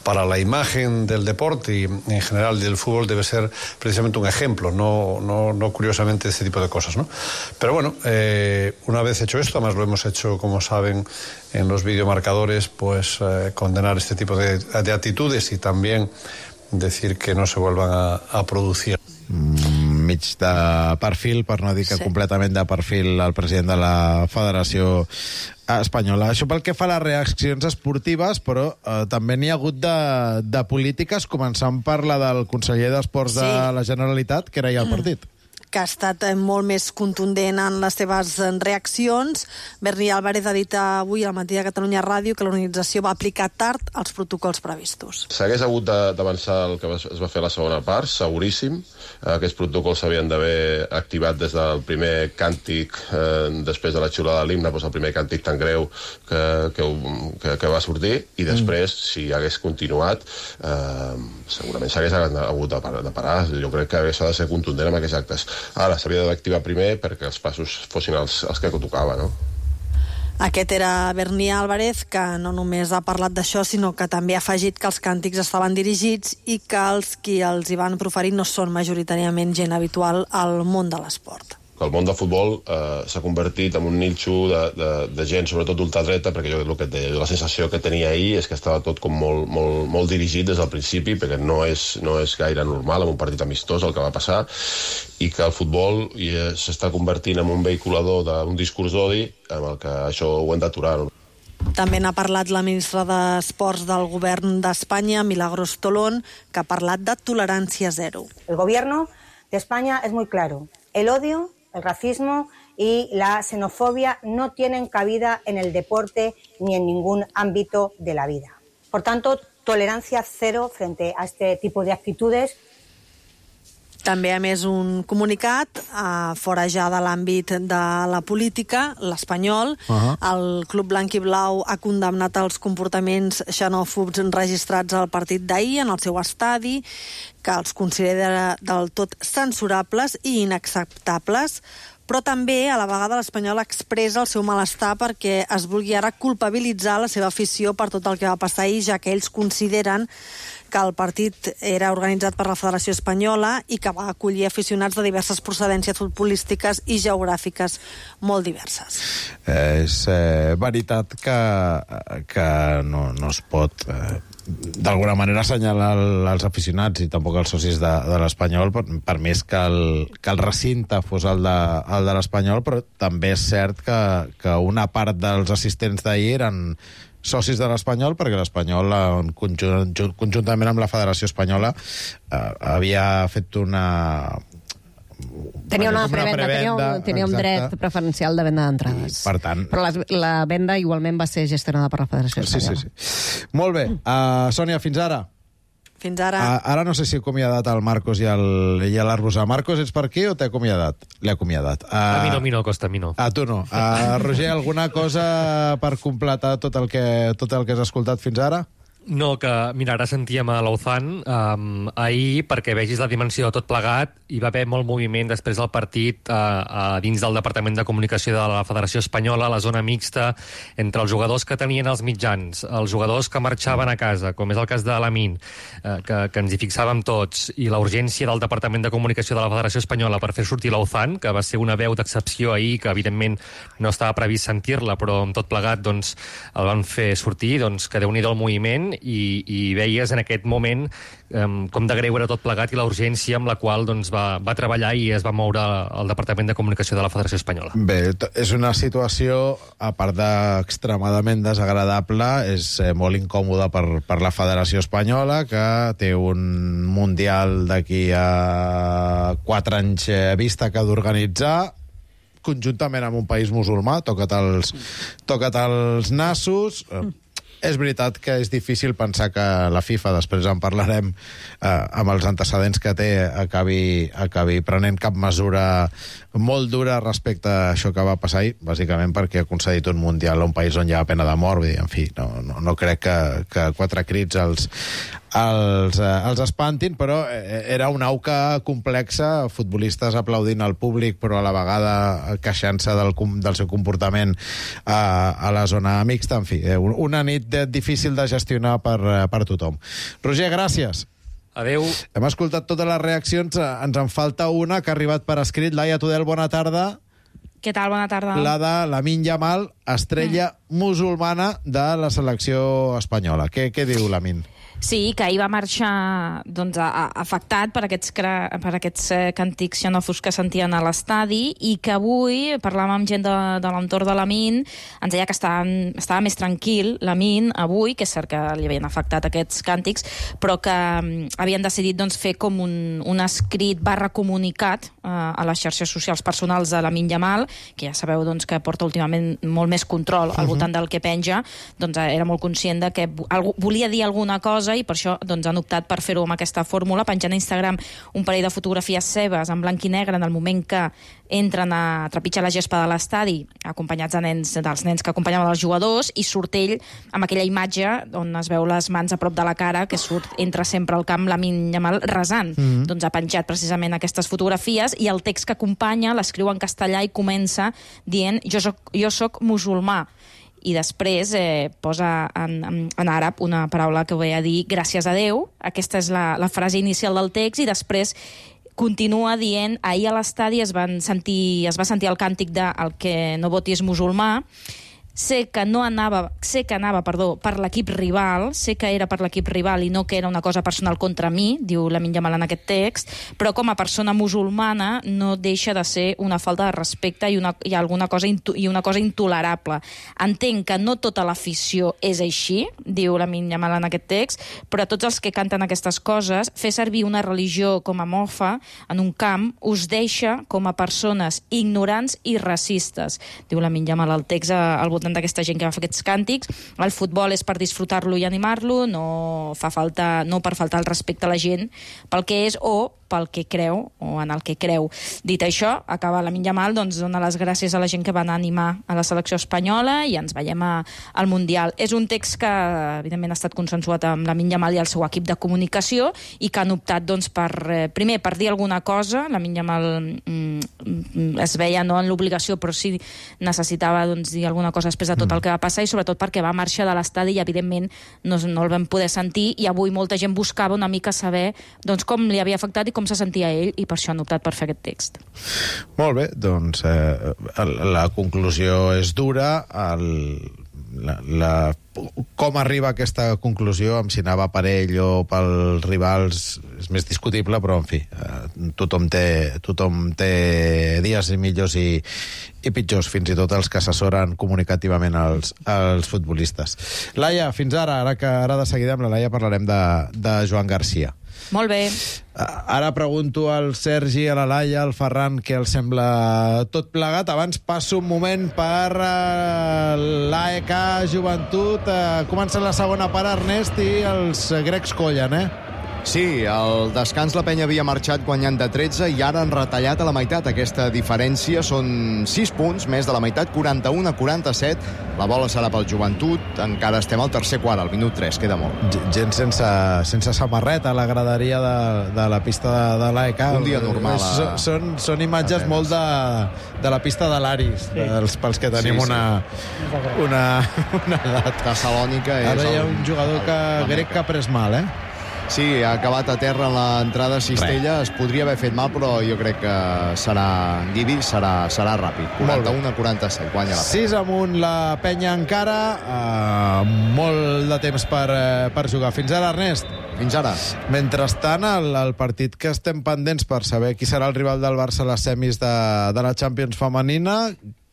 para la imagen del deporte y en general del fútbol debe ser precisamente un ejemplo, no, no, no curiosamente este tipo de cosas, ¿no? Pero bueno, eh, una vez hecho esto, además lo hemos hecho, como saben, en los videomarcadores, pues eh, condenar este tipo de, de actitudes y también decir que no se vuelvan a, a producir. Mm, mig de perfil, per no dir que sí. completament de perfil, el president de la Federació Espanyola. Això pel que fa a les reaccions esportives, però eh, també n'hi ha hagut de, de polítiques, començant per la del conseller d'Esports sí. de la Generalitat, que era ja al partit. Que ha estat molt més contundent en les seves reaccions. Berni Álvarez ha dit avui al Matí de Catalunya Ràdio que l'organització va aplicar tard els protocols previstos. S'hagués hagut d'avançar el que es va fer a la segona part, seguríssim. Aquests protocols s'havien d'haver activat des del primer càntic, eh, després de la xiulada de l'himne, doncs el primer càntic tan greu que, que, que, que va sortir, i després, mm. si hagués continuat, eh, segurament s'hagués hagut de parar. Jo crec que s'ha de ser contundent amb aquests actes. Ara, s'havia d'activar primer perquè els passos fossin els, els que tocava, no? Aquest era Berni Álvarez, que no només ha parlat d'això, sinó que també ha afegit que els càntics estaven dirigits i que els qui els hi van proferir no són majoritàriament gent habitual al món de l'esport. El món del futbol eh, s'ha convertit en un nínxol de, de, de gent, sobretot d'ultradreta, perquè jo el que et deia, la sensació que tenia ahir és que estava tot com molt, molt, molt dirigit des del principi, perquè no és, no és gaire normal en un partit amistós el que va passar, i que el futbol s'està convertint en un vehiculador d'un discurs d'odi, amb el que això ho hem d'aturar. També n'ha parlat la ministra d'Esports del govern d'Espanya, Milagros Tolón, que ha parlat de tolerància zero. El gobierno de España es muy claro. El odio, el racismo y la xenofobia no tienen cabida en el deporte ni en ningún ámbito de la vida. Por tanto, tolerancia cero frente a este tipo de actitudes. També, a més, un comunicat eh, fora ja de l'àmbit de la política, l'Espanyol. Uh-huh. El Club Blanc i Blau ha condemnat els comportaments xenòfobs registrats al partit d'ahir en el seu estadi, que els considera del tot censurables i inacceptables, però també a la vegada l'Espanyol expressa el seu malestar perquè es vulgui ara culpabilitzar la seva afició per tot el que va passar ahir, ja que ells consideren que el partit era organitzat per la Federació Espanyola i que va acollir aficionats de diverses procedències futbolístiques i geogràfiques molt diverses. Eh, és eh, veritat que, que no, no es pot eh, d'alguna manera assenyalar els aficionats i tampoc els socis de, de l'Espanyol, per, per més que el, que el recinte fos el de, el de l'Espanyol, però també és cert que, que una part dels assistents d'ahir eren socis de l'Espanyol, perquè l'Espanyol, conjunt, conjuntament amb la Federació Espanyola, eh, havia fet una Tenia una, una prevenda, tenia un, tenia un dret preferencial de venda d'entrades. Per tant... Però la, la venda igualment va ser gestionada per la Federació Espanyola. Sí, sí, sí. Molt bé. Uh, Sònia, fins ara. Fins ara. Uh, ara no sé si he acomiadat el Marcos i el, i l'Arbusà. Marcos, ets per aquí o t'he acomiadat? L'he acomiadat. Uh, a mi no, a mi no, Costa, a mi no. A tu no. Uh, Roger, alguna cosa per completar tot el que, tot el que has escoltat fins ara? No, que, mira, ara sentíem a Lauzán um, ahir, perquè vegis la dimensió de tot plegat, hi va haver molt moviment després del partit uh, uh, dins del Departament de Comunicació de la Federació Espanyola, la zona mixta, entre els jugadors que tenien els mitjans, els jugadors que marxaven a casa, com és el cas de Lamine, uh, que, que ens hi fixàvem tots, i la urgència del Departament de Comunicació de la Federació Espanyola per fer sortir Lauzán, que va ser una veu d'excepció ahir, que evidentment no estava previst sentir-la, però amb tot plegat doncs, el van fer sortir, doncs, que Déu-n'hi-do el moviment, I, i veies en aquest moment um, com de greu era tot plegat i la urgència amb la qual doncs, va, va treballar i es va moure al Departament de Comunicació de la Federació Espanyola. Bé, és una situació, a part d'extremadament desagradable, és eh, molt incòmoda per, per la Federació Espanyola, que té un Mundial d'aquí a quatre anys eh, vista que ha d'organitzar, conjuntament amb un país musulmà, toca't els, toca't els nassos... Eh, És veritat que és difícil pensar que la FIFA, després en parlarem, eh, amb els antecedents que té, acabi, acabi prenent cap mesura molt dura respecte a això que va passar ahir, bàsicament perquè ha concedit un Mundial a un país on hi ha pena de mort. Vull dir, en fi, no, no, no crec que, que quatre crits els, els, eh, els espantin, però era una auca complexa, futbolistes aplaudint al públic, però a la vegada queixant-se del, del seu comportament a, a la zona mixta. En fi, una nit difícil de gestionar per, per tothom. Roger, gràcies. Adéu. Hem escoltat totes les reaccions, ens en falta una que ha arribat per escrit. Laia Tudel, bona tarda. Què tal? Bona tarda. La de Lamine Yamal, estrella mm. musulmana de la selecció espanyola. Què, què diu Lamine? Sí, que ahir va marxar doncs, a, a, afectat per aquests, per aquests eh, càntics xenòfobs que sentien a l'estadi i que avui parlàvem amb gent de, de l'entorn de Lamine, ens deia que estava, estava més tranquil Lamine avui, que és cert que li havien afectat aquests càntics, però que um, havien decidit doncs, fer com un, un escrit barra comunicat eh, a les xarxes socials personals de Lamine Yamal, que ja sabeu doncs, que porta últimament molt més control al voltant del que penja, doncs era molt conscient de que algú, volia dir alguna cosa i per això doncs, han optat per fer-ho amb aquesta fórmula, penjant a Instagram un parell de fotografies seves en blanc i negre en el moment que entren a trepitjar la gespa de l'estadi, acompanyats de nens, dels nens que acompanyaven els jugadors, i surt ell amb aquella imatge on es veu les mans a prop de la cara, que surt, entra sempre al camp Lamine Yamal resant. Mm-hmm. Doncs ha penjat precisament aquestes fotografies i el text que acompanya l'escriu en castellà i comença dient jo soc, jo soc musulmà. I després eh, posa en, en, en àrab una paraula que ve a dir gràcies a Déu. Aquesta és la, la frase inicial del text i després continua dient ahir a l'estadi es, van sentir, es va sentir el càntic de el que no voti és musulmà. Sé que no anava, sé que anava, perdó, per l'equip rival, sé que era per l'equip rival i no que era una cosa personal contra mi, diu Lamine Yamal en aquest text, però com a persona musulmana no deixa de ser una falta de respecte i una, i alguna cosa, i una cosa intolerable. Entenc que no tota l'afició és així, diu Lamine Yamal en aquest text, però tots els que canten aquestes coses, fer servir una religió com a mofa en un camp us deixa com a persones ignorants i racistes, diu Lamine Yamal al text al voltant d'aquesta gent que va fer aquests càntics. El futbol és per disfrutar-lo i animar-lo, no fa falta, no per faltar el respecte a la gent pel que és o pel que creu, o en el que creu. Dit això, acaba Lamine Yamal, doncs dona les gràcies a la gent que van animar a la selecció espanyola i ens veiem a, al Mundial. És un text que, evidentment, ha estat consensuat amb Lamine Yamal i el seu equip de comunicació i que han optat, doncs, per, eh, primer, per dir alguna cosa. Lamine Yamal mm, es veia no en l'obligació, però sí necessitava doncs, dir alguna cosa després de tot el que va passar i sobretot perquè va marxar de l'estadi i, evidentment, no, no el vam poder sentir i avui molta gent buscava una mica saber doncs, com li havia afectat i com se sentia ell, i per això han optat per fer aquest text. Molt bé, doncs eh, la conclusió és dura, el, la, la, com arriba a aquesta conclusió, amb si anava per ell o pels rivals, és més discutible, però en fi, eh, tothom té, tothom té dies millors i, i pitjors, fins i tot els que assessoren comunicativament els, els futbolistes. Laia, fins ara, ara que ara de seguida amb la Laia parlarem de, de Joan Garcia. Molt bé. Ara pregunto al Sergi, a la Laia, al Ferran, què els sembla tot plegat. Abans passo un moment per uh, l'A E K Joventut. Uh, comença la segona part, Ernest, i els grecs collen, eh? Sí, al descans la penya havia marxat guanyant de tretze i ara han retallat a la meitat. Aquesta diferència són sis punts, més de la meitat, quaranta-un a quaranta-set. La bola serà pel Joventut. Encara estem al tercer quart, al minut tres, queda molt. Gent sense, sense samarreta a la graderia de, de la pista de, de l'A E K. Un dia normal. A... Són, són, són imatges molt de, de la pista de l'Aris, sí. dels, pels que tenim sí, sí. una, una, una edat. Tessalònica és... Ara hi ha el... un jugador que, grec que ha pres mal, eh? Sí, ha acabat a terra en l'entrada a Cistella. Res. Es podria haver fet mal, però jo crec que serà Guidi, serà, serà ràpid. quaranta-un a quaranta-set, guanya la penya. sis amunt la penya encara. Uh, molt de temps per, uh, per jugar. Fins ara, Ernest. Fins ara. Mentrestant, el, el partit que estem pendents per saber qui serà el rival del Barça a les semis de, de la Champions femenina,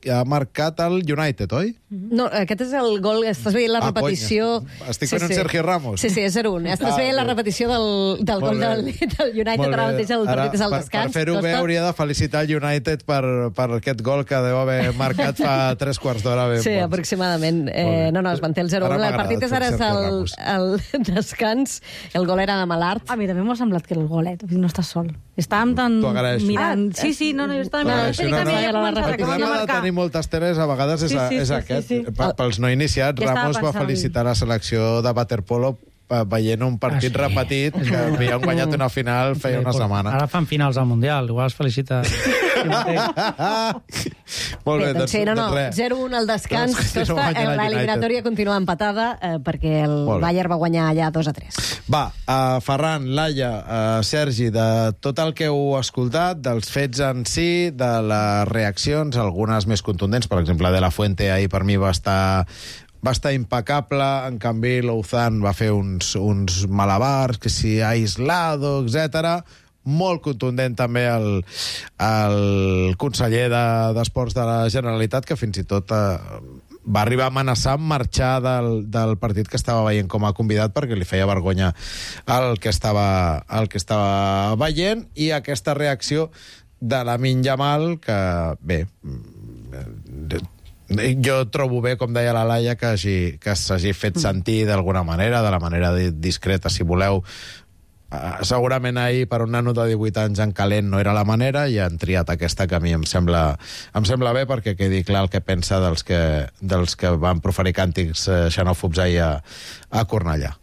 ha marcat el United, oi? No, aquest és el gol, estàs veient la ah, repetició... Conya. Estic fent sí, un sí. Sergi Ramos. Sí, sí, és zero un. Estàs ah, veient bé. la repetició del, del gol del, del United, ara mateix el partit és al descans. Per, per fer-ho bé hauria de felicitar el United per, per aquest gol que deu haver marcat fa tres quarts d'hora. Sí, bons. aproximadament. Eh, no, no, es manté el zero un. El partit és ara és el, el descans. El gol era de Malart. A mi també m'ha semblat que el gol, eh? No estàs sol. Estàvem tan mirant... Ah, sí, sí, no, no, jo estava mirant. Sí, no, no, no, el problema de tenir moltes teles a vegades és, sí, sí, és sí, aquest. Sí, sí. Pels no iniciats, ja Ramos va felicitar la selecció de waterpolo veient un partit ah, sí. repetit que havien guanyat una final feia una setmana. Ara fan finals al Mundial, igual es felicita... Molt bé, doncs, sí, no, no, zero un al descans. Doncs, Costa, l'eliminatòria continua empatada eh, perquè el Bayern va guanyar allà dos a tres. Va, uh, Ferran, Laia, uh, Sergi, de tot el que heu escoltat, dels fets en si, de les reaccions, algunes més contundents, per exemple, de la Fuente ahir per mi va estar va estar impecable, en canvi l'Ouzan va fer uns, uns malabars, que si aislado, etcètera. Molt contundent també el, el conseller d'Esports de, de la Generalitat, que fins i tot eh, va arribar a amenaçar amb marxar del, del partit que estava veient com a convidat perquè li feia vergonya el que estava, el que estava veient, i aquesta reacció de Lamine Yamal, que bé... Jo trobo bé, com deia la Laia, que, hagi, que s'hagi fet sentir d'alguna manera, de la manera discreta, si voleu. Uh, segurament ahir, per un nano de divuit anys en calent, no era la manera, i han triat aquesta que a mi em sembla, em sembla bé, perquè quedi clar el que pensa dels que, dels que van proferir càntics uh, xenòfobs ahir a, a Cornellà.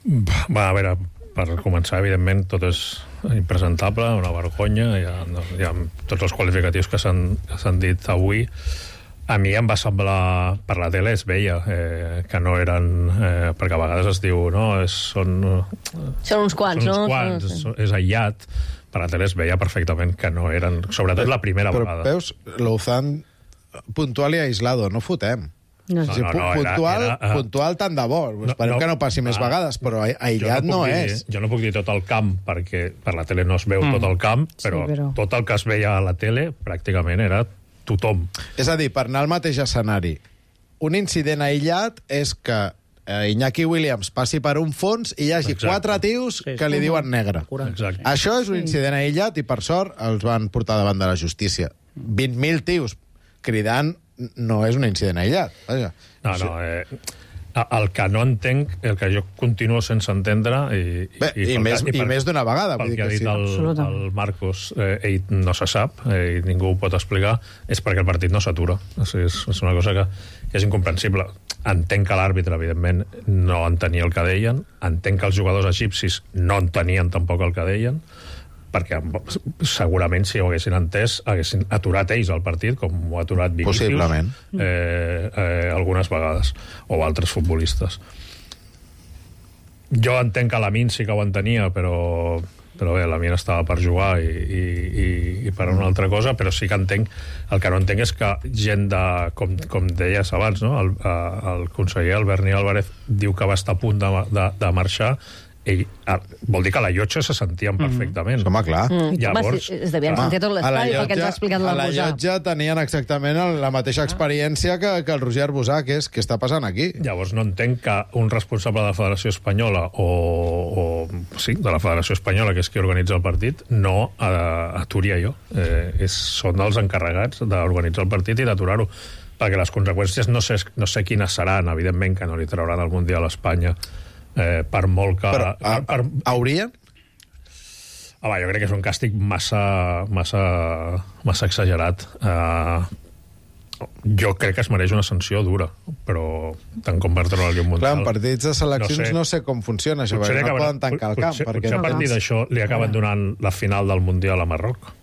Va, a veure, per començar, evidentment, tot és impresentable, una vergonya, hi ha, hi ha tots els qualificatius que s'han dit avui. A mi em va semblar, per la tele es veia eh, que no eren, eh, perquè a vegades es diu, no, és, són... Són uns quants, són uns no? quants, és, és aïllat. Per la tele es veia perfectament que no eren, sobretot la primera però, vegada. Però veus, l'Ouzan puntual i aislado, no fotem. No, no, no, no, puntual, era, era, puntual tant de bo. Esperem no, no, que no passi més ah, vegades, però aïllat no, no és. Dir, jo no puc dir tot el camp, perquè per la tele no es veu mm. tot el camp, però, sí, però tot el que es veia a la tele pràcticament era tothom. És a dir, per anar al mateix escenari, un incident aïllat és que eh, Iñaki Williams passi per un fons i hi hagi Exacte. quatre tios sí, que li diuen negre. Exacte. Això és un incident aïllat i, per sort, els van portar davant de la justícia. vint mil tios cridant no és un incident aïllat. Vaja. No, no, eh, el que no entenc, el que jo continuo sense entendre, i, Bé, i, i, més, que, i, i més d'una vegada. Pel vull que ha dit sí. el, el Marcos, eh, ell no se sap, eh, i ningú ho pot explicar, és perquè el partit no s'atura. O sigui, és, és una cosa que, que és incomprensible. Entenc que l'àrbitre, evidentment, no entenia el que deien, entenc que els jugadors egipcis no entenien tampoc el que deien, perquè segurament si ho haguessin entès haguessin aturat ells el partit, com ho ha aturat Vinícius possiblement eh, eh, algunes vegades, o altres futbolistes. Jo entenc que Lamine sí que ho entenia, però, però bé, Lamine estava per jugar i, i, i, i per una altra cosa, però sí que entenc, el que no entenc és que gent de, com, com deies abans, no? el, el conseller Albert Álvarez diu que va estar a punt de, de, de marxar. ell, vol dir que a la llotja se sentien perfectament. Home, clar. Mm. Llavors, home, es devien sentir tot l'estadi perquè ens ha explicat la la Busà. A la llotja tenien exactament la mateixa experiència que, que el Roger Busà, que és què està passant aquí. Llavors no entenc que un responsable de la Federació Espanyola o, o sí, de la Federació Espanyola, que és qui organitza el partit, no aturi allò. Eh, és, són els encarregats d'organitzar el partit i d'aturar-ho. Perquè les conseqüències no sé, no sé quines seran, evidentment que no li trauran el Mundial a Espanya, eh, per molt que... Però, a, per, haurien? Home, jo crec que és un càstig massa, massa, massa exagerat. Uh, jo crec que es mereix una sanció dura, però tant com per treure-li un Mundial... Clar, en partits de seleccions no sé, no sé com funciona això, perquè no poden tancar el camp. Potser, perquè potser a partir d'això li acaben donant la final del Mundial a Marroc.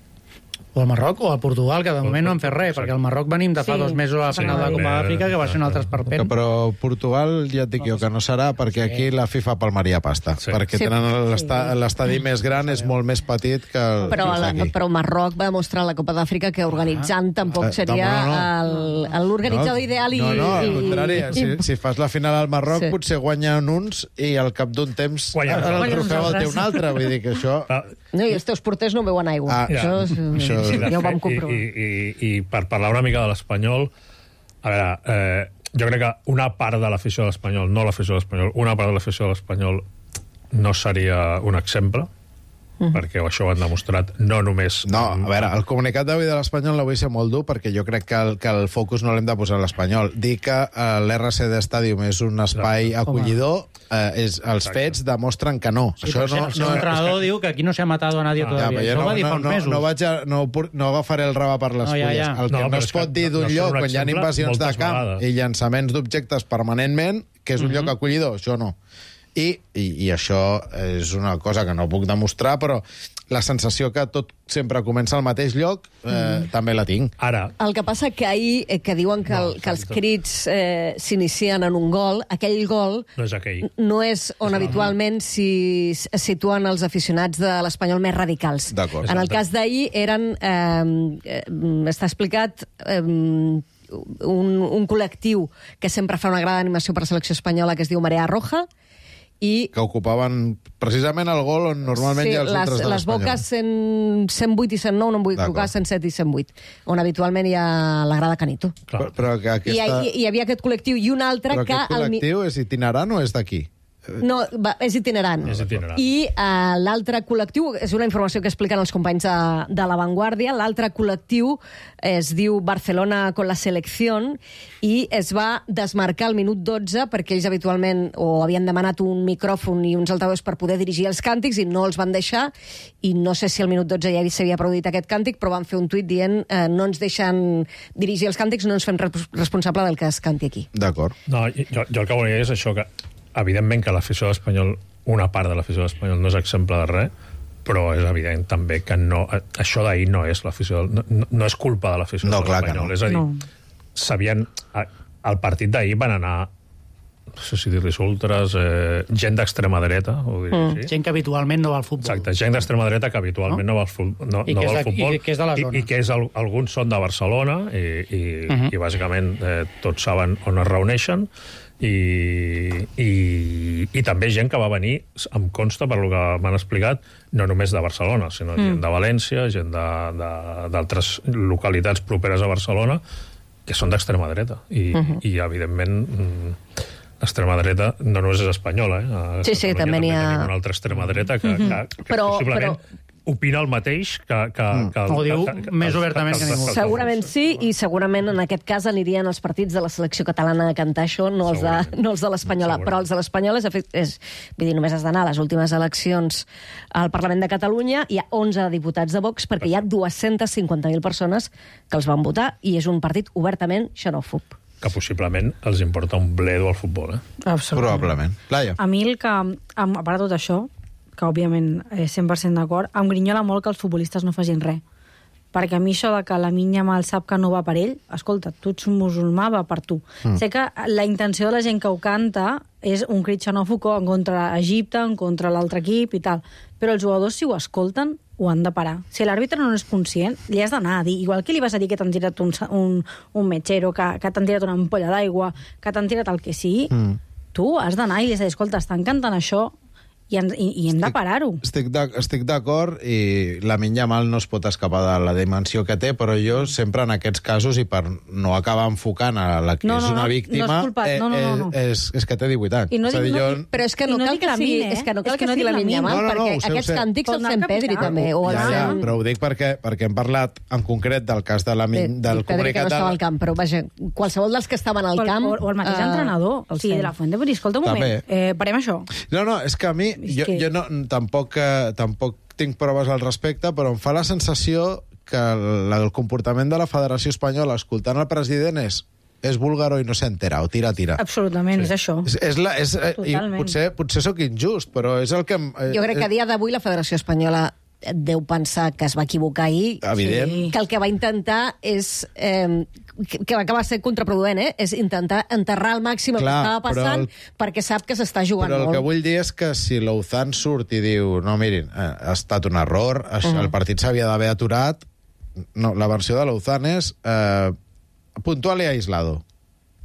O al Marroc o a Portugal, que de moment no han fet res, perquè al Marroc venim de fa sí, dos mesos a la final sí, de la Copa d'Àfrica, que va ser un altre esperpent. Però Portugal, ja et dic jo, que no serà, perquè aquí la FIFA palmaria pasta. Sí. Perquè sí, tenen l'estadi sí. més gran, és molt més petit que el, però, la, però Marroc va demostrar a la Copa d'Àfrica que organitzant tampoc seria no, no, no. l'organitzador no, ideal i... No, no, al i, contrari, i, si, si fas la final al Marroc, sí. potser guanyen uns i al cap d'un temps Guanya, el trofeu el té un altre. Vull dir que això... No, i els teus porters no beuen aigua. Ah, això, ja, això, sí, ja ho vam comprovar. I, i, i per parlar una mica de l'Espanyol, a veure, eh, jo crec que una part de l'afició de l'Espanyol, no l'afició de l'Espanyol, una part de l'afició de l'Espanyol no seria un exemple, Mm. perquè això ho han demostrat no només... No, a veure, el comunicat d'avui de l'Espanyol no vull ser molt dur, perquè jo crec que el, que el focus no l'hem de posar a l'Espanyol. Dir que uh, l'R C D Stadium és un espai Exacte. acollidor, uh, és, els Exacte. fets demostren que no. Sí, això no, no, entrenador diu que aquí no s'ha matat a nadie ah, todavía. Ja, això no, va dir fa uns no, mesos. No, vaig a, no, no agafaré el raba per les no, ja, ja. fulles. El que no, no es pot dir d'un no lloc quan hi ha invasions de camp vegades. i llançaments d'objectes permanentment, que és un mm -hmm. lloc acollidor, això no. I, i, I això és una cosa que no puc demostrar, però la sensació que tot sempre comença al mateix lloc eh, mm. també la tinc. Ara. El que passa que ahir, eh, que diuen que, el, no, que els crits eh, s'inicien en un gol, aquell gol no és, aquell. no és on no, habitualment s'hi situen els aficionats de l'Espanyol més radicals. En el cas d'ahir eren... Eh, eh, està explicat... Eh, un, un col·lectiu que sempre fa una gran animació per la selecció espanyola que es diu Marea Roja, i que ocupaven precisament el gol on normalment sí, hi ha els les, ultras de les boques cent, cent vuit i cent nou, no em vull equivocar, cent set i cent vuit, on habitualment hi ha la grada Canito. Però, però que aquesta... I, hi, hi havia aquest col·lectiu i un altre però que... Però aquest col·lectiu el... és itinerant o és d'aquí? No, va, és itinerant. És itinerant. I uh, l'altre col·lectiu, és una informació que expliquen els companys de, de La Vanguardia, l'altre col·lectiu es diu Barcelona con la selección i es va desmarcar al minut dotze perquè ells habitualment o havien demanat un micròfon i uns altaveus per poder dirigir els càntics i no els van deixar, i no sé si al minut dotze ja s'havia produït aquest càntic, però van fer un tuit dient eh, no ens deixen dirigir els càntics, no ens fem responsable del que es canti aquí. D'acord. No, jo, jo el que volia és això, que evidentment que l'afició de l'Espanyol, una part de l'afició de l'Espanyol no és exemple de res, però és evident també que no, això d'ahir no és l'afició, no, no és culpa de l'afició no, de l'Espanyol. No. És a dir, no. sabien... Al partit d'ahir van anar, no sé si dir-li ultras, eh, gent d'extrema dreta, ho diré mm. així. Gent que habitualment no va al futbol. Exacte, gent d'extrema dreta que habitualment no, no va al, fu no, no va al futbol. I que és de la zona. I, i que és el, alguns són de Barcelona i, i, uh -huh. i bàsicament eh, tots saben on es reuneixen. I, i, i també gent que va venir, em consta, per lo que m'han explicat, no només de Barcelona, sinó mm. gent de València, gent d'altres localitats properes a Barcelona, que són d'extrema dreta. I, uh -huh. i evidentment, l'extrema dreta no només és espanyola, eh? A sí, sí, també n'hi ha... una altra extrema dreta que, uh -huh. que, que però, possiblement... Però... opina el mateix que... que, mm. que Ho diu que, que, més obertament que, que, que ningú. Segurament sí, i segurament en aquest cas anirien els partits de la selecció catalana a cantar això, no els de, no els de l'Espanyola. Però els de l'Espanyola és, és... Vull dir, només has d'anar a les últimes eleccions al Parlament de Catalunya, hi ha onze diputats de Vox, perquè hi ha dues-centes cinquanta mil persones que els van votar, i és un partit obertament xenòfob. Que possiblement els importa un bledo al futbol, eh? Absolutament. Probablement. Laia. A mi el que, a part de tot això, que òbviament és cent per cent d'acord, em grinyola molt que els futbolistes no facin res. Perquè a mi això de que la minya mal sap que no va per ell, escolta, tu ets un musulmà, va per tu. Mm. Sé que la intenció de la gent que ho canta és un crit xenòfob en contra Egipte, en contra l'altre equip i tal, però els jugadors, si ho escolten, ho han de parar. Si l'àrbitre no és conscient, li has d'anar a dir, igual que li vas a dir que t'han tirat un, un, un metgero, que, que t'han tirat una ampolla d'aigua, que t'han tirat el que sigui, mm. tu has d'anar i li has de dir, escolta, estan cantant això, I, en, i, i hem de parar-ho. Estic d'ac- estic d'acord i la Yamal no es pot escapar de la dimensió que té, però jo sempre en aquests casos, i per no acabar enfocant a la que No, és no, una no, víctima, no és culpa- no, no, no, no. eh, és, és que té divuit anys. I no És a dic- dir, no jo- dic- Però és que no I no cal dic que la sigui, Min, eh? és que no cal És que que no sigui dic la la Min Min. Yamal, No, no, no, perquè ho sé, ho aquests sé. càntics Pot els anar fem al Pedri capità. també. O Ja, els ja, fem- però ho dic perquè, perquè hem parlat en concret del cas de la Min, del Pedri que no comunicat estava de... al camp, però vaja, qualsevol dels que estaven al O el- camp... o, o el mateix eh, entrenador, o sigui, sí. de la Fuente. Vull dir, escolta un moment, També. eh, parem això. No, no, és que a mi, jo, que- jo no, tampoc, eh, tampoc tinc proves al respecte, però em fa la sensació que el, el comportament de la Federació Espanyola escoltant el president és és búlgaro i no s'entera, o tira, tira. Absolutament, sí. És això. És, és la, és, eh, i Totalment. potser, potser sóc injust, però és el que... em- Eh, Jo crec que a dia d'avui la Federació Espanyola deu pensar que es va equivocar ahir. Evident. Sí. Que el que va intentar és... Eh, que, que va acabar sent contraproduent, eh? És intentar enterrar al màxim el Clar, que estava passant però el- perquè sap que s'està jugant Però el molt. que vull dir és que si l'Ouzan surt i diu no, mirin, eh, ha estat un error, això, Mhm. el partit s'havia d'haver aturat, no, la versió de l'Ouzan és eh, puntual i aislado.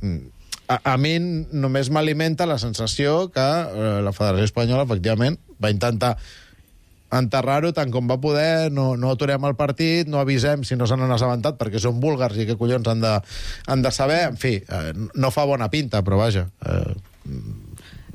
Mm. A, a mi només m'alimenta la sensació que eh, la Federació Espanyola, efectivament, va intentar enterrar-ho tant com va poder, no, no aturem el partit, no avisem si no se n'han assabentat perquè són búlgars i què collons han de, han de saber. En fi, eh, no fa bona pinta, però vaja... Eh,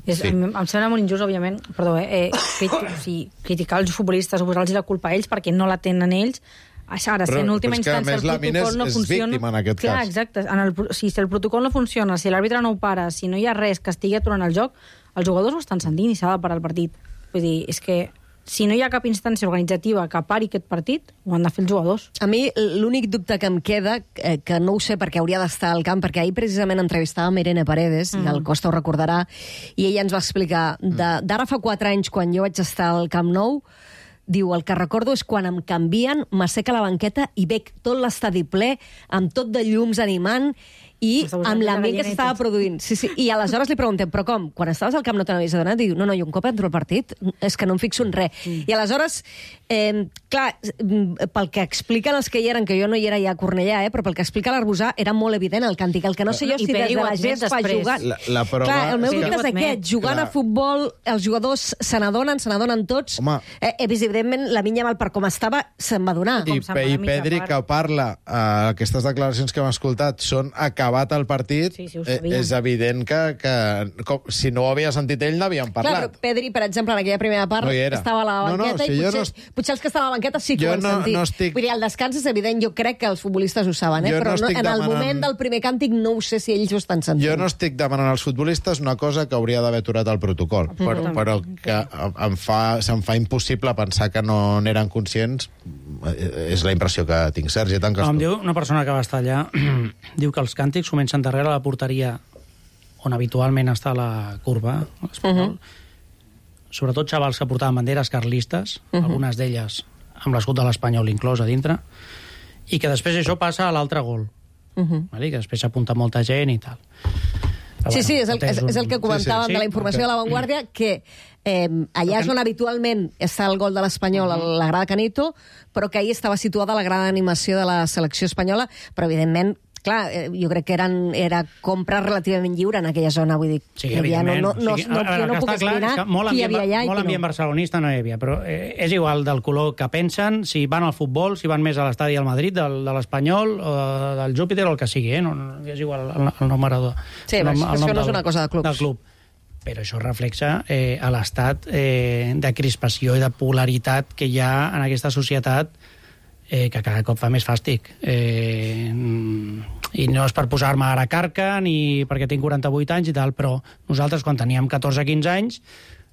És, Sí. em, em sembla molt injust, òbviament, perdó, eh, eh criti o sigui, criticar els futbolistes o posar-los la culpa a ells perquè no la tenen ells. Ara, si Però- en última però és que, a instància més, el la Min protocol és- no és funciona... víctima en aquest Clar, cas. exacte. En el, pro- si el protocol no funciona, si l'àrbitre no ho para, si no hi ha res que estigui aturant el joc, els jugadors ho estan sentint i s'ha de parar el partit. Vull dir, és que si no hi ha cap instància organitzativa que pari aquest partit, ho han de fer els jugadors. A mi l'únic dubte que em queda, eh, que no ho sé perquè hauria d'estar al camp, perquè ahir precisament entrevistàvem Irene Paredes, mm. i el Costa ho recordarà, i ella ens va explicar, de- d'ara fa quatre anys, quan jo vaig estar al Camp Nou, diu, el que recordo és quan em canvien, m'asseca la banqueta i veig tot l'estadi ple, amb tot de llums animant, i amb l'ambient que s'estava produint. Sí, sí. I aleshores li preguntem, però com? Quan estaves al camp no te n'havies adonat? Diu, no, no, i un cop entro al partit és que no em fixo en res. Mm. I aleshores, eh, clar, pel que expliquen els que hi eren, que jo no hi era ja a Cornellà, eh, però pel que explica l'Arbusà, era molt evident el càntic. El que no sé jo I si des Pedri de ho la admet gespa després. jugant... La, la prova... Clar, el meu Sí, dubte és ho admet. aquest. Jugant Clar. a futbol, els jugadors se n'adonen, se n'adonen tots. Home. Eh, evidentment, la Min Yamal, per com estava, se'n va donar. I, Pe i Pedri, que parla, eh, aquestes declaracions que hem escoltat són acabat el partit, Sí, sí, ho eh, sabíem. és evident que, que com, si no ho havia sentit ell n'havien Clar, parlat. però Pedri, per exemple, en aquella primera part, No hi era. estava a la No, no, banqueta si i jo potser, no potser els que estaven a la banqueta sí que Jo ho han no- sentit. no estic- Vull dir, el descans és evident, jo crec que els futbolistes ho saben, eh? Jo no però no, estic en el demanant- moment del primer càntic no ho sé si ells ho estan sentint. Jo no estic demanant als futbolistes una cosa que hauria d'haver aturat el protocol, però, Mhm. però que em fa, se'm fa impossible pensar que no n'eren conscients. Eh, És la impressió que tinc. Sergi, tanques No, em tu. diu una persona que va estar allà, diu que els càntics comencen darrere la porteria on habitualment està la curva espanyol. Uh -huh. Sobretot xavals que portaven banderes carlistes, uh -huh. algunes d'elles amb l'escut de l'Espanyol inclòs a dintre, i que després això passa a l'altre gol. Uh -huh. Vale? Que després s'apunta molta gent i tal. Però Sí, bueno, sí, és el, és, un- és el que comentàvem sí, sí, de la informació que- de l'avantguàrdia, que eh, allà és on habitualment està el gol de l'Espanyol, a la grada Canito, però que ahir estava situada la grada d'animació de la selecció espanyola, però evidentment clar, eh, jo crec que eren, era compra relativament lliure en aquella zona, vull dir, Sí, que ja no, evidentment. no, no, O sigui, no, a veure, jo no que puc està clar és esbrinar que molt qui hi ambient, havia allà i molt qui ambient no. barcelonista no hi havia, però eh, és igual del color que pensen, si van al futbol, si van més a l'estadi del Madrid, del, de l'Espanyol, o del Júpiter, o el que sigui, eh? no, no, és igual el, el nom maradó. Sí, el nom, això el nom no és del- una cosa de clubs. Del club. Però això reflexa eh, a l'estat eh, de crispació i de polaritat que hi ha en aquesta societat, eh, que cada cop fa més fàstic. Eh, I no és per posar-me ara carca, ni perquè tinc quaranta-vuit anys i tal, però nosaltres, quan teníem catorze quinze anys,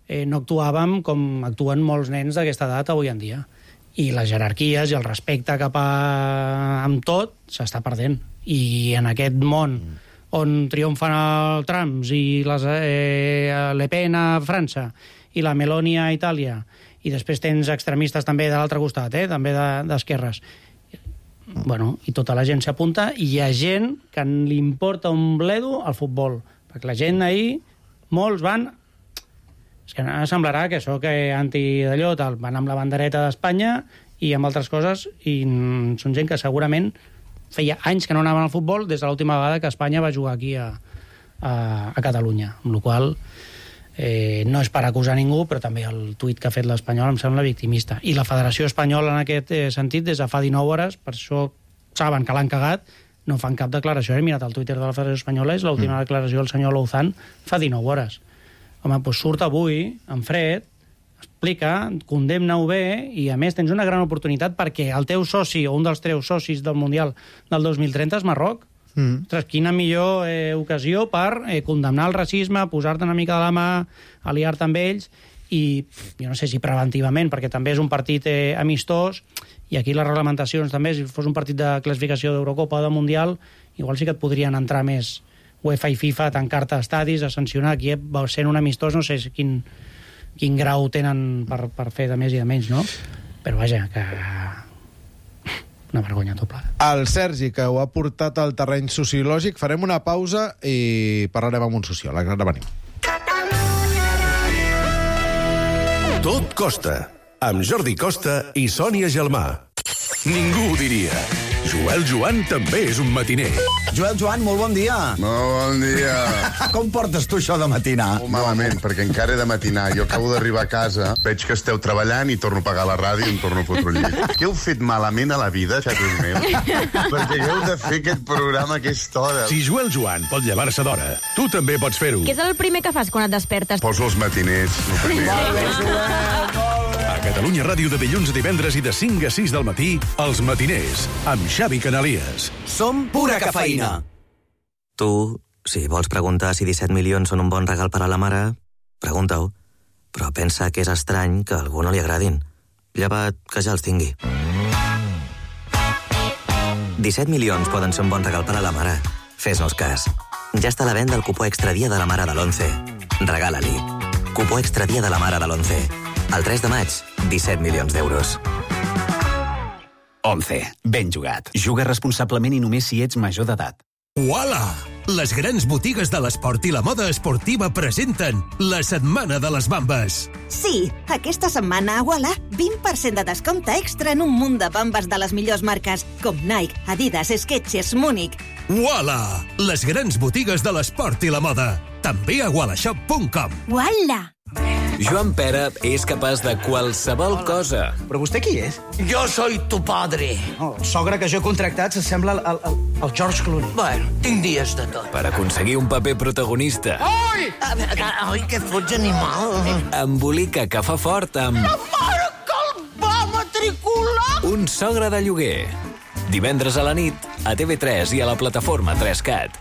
eh, no actuàvem com actuen molts nens d'aquesta edat avui en dia. I les jerarquies i el respecte cap a... amb tot s'està perdent. I en aquest món on triomfen el Trump i les, eh, Le Pen a França i la Meloni a Itàlia, i després tens extremistes també de l'altre costat, eh, també d'esquerres. Bueno, i tota la gent s'apunta, i hi ha gent que li importa un bledo al futbol, perquè la gent ahir, molts van... És que semblarà que sóc anti d'allò, tal, van amb la bandereta d'Espanya i amb altres coses, i mm, són gent que segurament feia anys que no anaven al futbol des de l'última vegada que Espanya va jugar aquí a, a, a Catalunya, amb la qual cosa Eh, no és per acusar ningú, però també el tuit que ha fet l'Espanyol em sembla victimista. I la Federació Espanyola, en aquest eh, sentit, des de fa dinou hores, per això saben que l'han cagat, no fan cap declaració. He mirat el Twitter de la Federació Espanyola, és l'última mm. declaració del senyor Louzán fa dinou hores. Home, doncs surt avui, en fred, explica, condemna-ho bé, i a més tens una gran oportunitat perquè el teu soci, o un dels teus socis del Mundial del dos mil trenta és Marroc. Mm. Ostres, quina millor eh, ocasió per eh, condemnar el racisme, posar-te una mica de la mà, aliar-te amb ells, i jo no sé si preventivament, perquè també és un partit eh, amistós, i aquí les reglamentacions també, si fos un partit de classificació d'Eurocopa o de Mundial, igual sí que et podrien entrar més UEFA i FIFA a tancar-te estadis, a sancionar. Aquí sent un amistós no sé quin, quin grau tenen per, per fer de més i de menys, no? Però vaja, que... una vergonya doble. El Sergi, que ho ha portat al terreny sociològic, farem una pausa i parlarem amb un sociòleg. Ara venim. Tot Costa, amb Jordi Costa i Sònia Gelmà. Ningú ho diria. Joel Joan també és un matiner. Joel Joan, molt bon dia. Molt bon dia. Com portes tu això de matinar? Molt malament, perquè encara he de matinar. Jo acabo d'arribar a casa, veig que esteu treballant i torno a pagar la ràdio i em torno a fotre el llit. Què heu fet malament a la vida, xatos meus? Perquè heu de fer aquest programa a aquesta hora. Si Joel Joan pot llevar-se d'hora, tu també pots fer-ho. Què és el primer que fas quan et despertes? Poso els matiners. El primer. Molt bé, Joel, molt bé. A Catalunya Ràdio de dilluns a divendres i de cinc a sis del matí, Els Matiners, amb Xavi Canalies. Som pura cafeïna. Tu, si vols preguntar si disset milions són un bon regal per a la mare, pregunta-ho. Però pensa que és estrany que a algú no li agradin. Llevat que ja els tingui. disset milions poden ser un bon regal per a la mare. Fes-nos cas. Ja està a la venda el cupó extra dia de la mare de l'onze. Regala-li. Cupó extra dia de la mare de l'onze. El tres de maig, disset milions d'euros. onze. Ben jugat. Juga responsablement i només si ets major d'edat. Uala! Les grans botigues de l'esport i la moda esportiva presenten la Setmana de les Bambes. Sí, aquesta setmana a Uala, vint per cent de descompte extra en un munt de bambes de les millors marques, com Nike, Adidas, Skechers, Múnich. Uala! Les grans botigues de l'esport i la moda. També a ualashop punt com. Uala! Joan Pera és capaç de qualsevol cosa. Però vostè qui és? Jo soy tu padre. Oh, el sogre que jo he contractat s'assembla al, al, al George Clooney. Bueno, tinc dies de tot. Per aconseguir un paper protagonista. Ai! Ai, que fots animal. Embolica que fa fort amb... La mare que el va matricular! Un sogre de lloguer. Divendres a la nit, a T V tres i a la plataforma tres cat.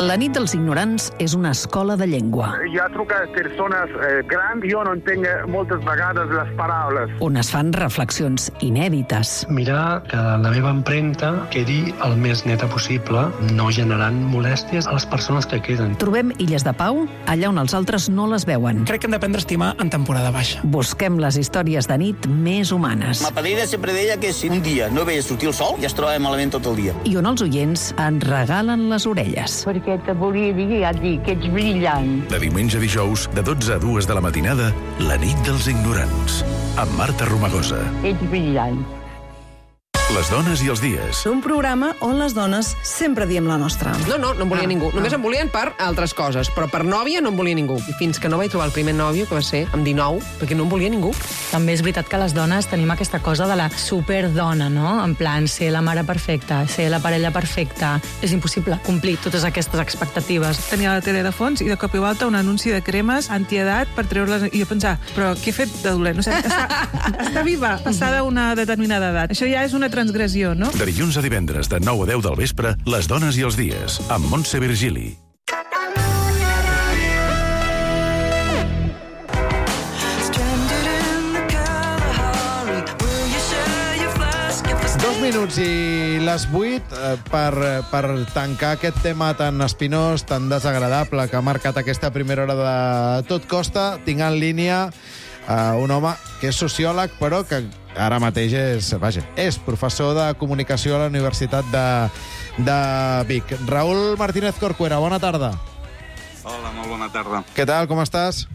La nit dels ignorants és una escola de llengua. Hi ha trucat persones eh, grans, jo no entenc moltes vegades les paraules. On es fan reflexions inèdites. Mirar que la meva empremta quedi el més neta possible, no generant molèsties a les persones que queden. Trobem illes de pau allà on els altres no les veuen. Crec que hem d'aprendre a estimar en temporada baixa. Busquem les històries de nit més humanes. Ma padrina sempre deia que si un dia no veia sortir el sol, ja es trobava malament tot el dia. I on els oients ens regalen les orelles. Perquè te volia dir, ja et dic, que ets brillant. De diumenge a dijous, de dotze a dues de la matinada, La nit dels ignorants, amb Marta Romagosa. Ets brillant. Les dones i els dies. Un programa on les dones sempre diem la nostra. No, no, no em volia ah, ningú. Només ah. em volien per altres coses, però per nòvia no em volia ningú. I fins que no vaig trobar el primer nòvio, que va ser amb dinou, perquè no em volia ningú. També és veritat que les dones tenim aquesta cosa de la superdona, no? En plan, ser la mare perfecta, ser la parella perfecta. És impossible complir totes aquestes expectatives. Tenia la tele de fons i de cop i volta un anunci de cremes antiedat per treure-les... I jo pensar, però què he fet de dolent? O sigui, està, està viva, passada una determinada edat. Això ja és una transgressió, no? De dilluns a divendres, de nou a deu del vespre, Les dones i els dies, amb Montse Virgili. Dos minuts i les vuit eh, per, per tancar aquest tema tan espinós, tan desagradable que ha marcat aquesta primera hora de Tot Costa. Tinc en línia eh, un home que és sociòleg, però que ara mateix és, vaja, és professor de comunicació a la Universitat de, de Vic. Raül Martínez Corcuera, bona tarda. Hola, molt bona tarda. Què tal, com estàs?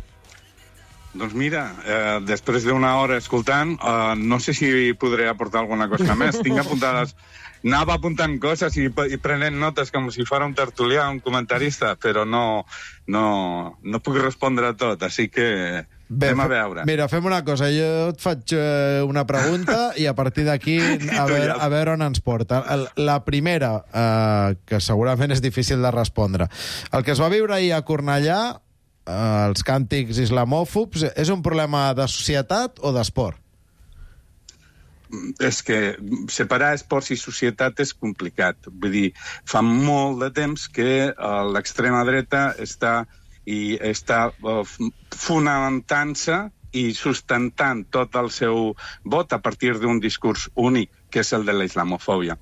Doncs mira, eh, després d'una hora escoltant, eh, no sé si podré aportar alguna cosa més. Tinc apuntades... Anava apuntant coses i, i prenent notes com si fos un tertulià, un comentarista, però no, no, no puc respondre a tot, així que Bé, anem a veure. Mira, fem una cosa, jo et faig eh, una pregunta i a partir d'aquí a, veure, a veure on ens porta. La primera, eh, que segurament és difícil de respondre. El que es va viure ahir a Cornellà, eh, els càntics islamòfobs, és un problema de societat o d'esport? És que separar esports i societat és complicat. Vull dir, fa molt de temps que uh, l'extrema dreta està, i està uh, fonamentant-se i sustentant tot el seu vot a partir d'un discurs únic, que és el de la islamofòbia.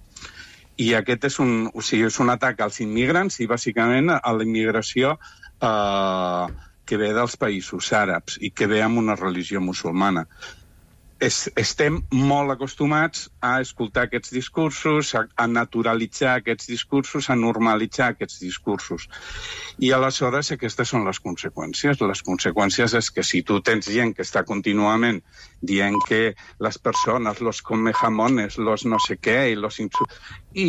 I aquest és un, o sigui, és un atac als immigrants i, bàsicament, a la immigració uh, que ve dels països àrabs i que ve amb una religió musulmana. Es, estem molt acostumats a escoltar aquests discursos, a, a naturalitzar aquests discursos, a normalitzar aquests discursos. I aleshores aquestes són les conseqüències. Les conseqüències és que si tu tens gent que està contínuament dient que les persones, los come jamones, los no sé què, i, los insu... I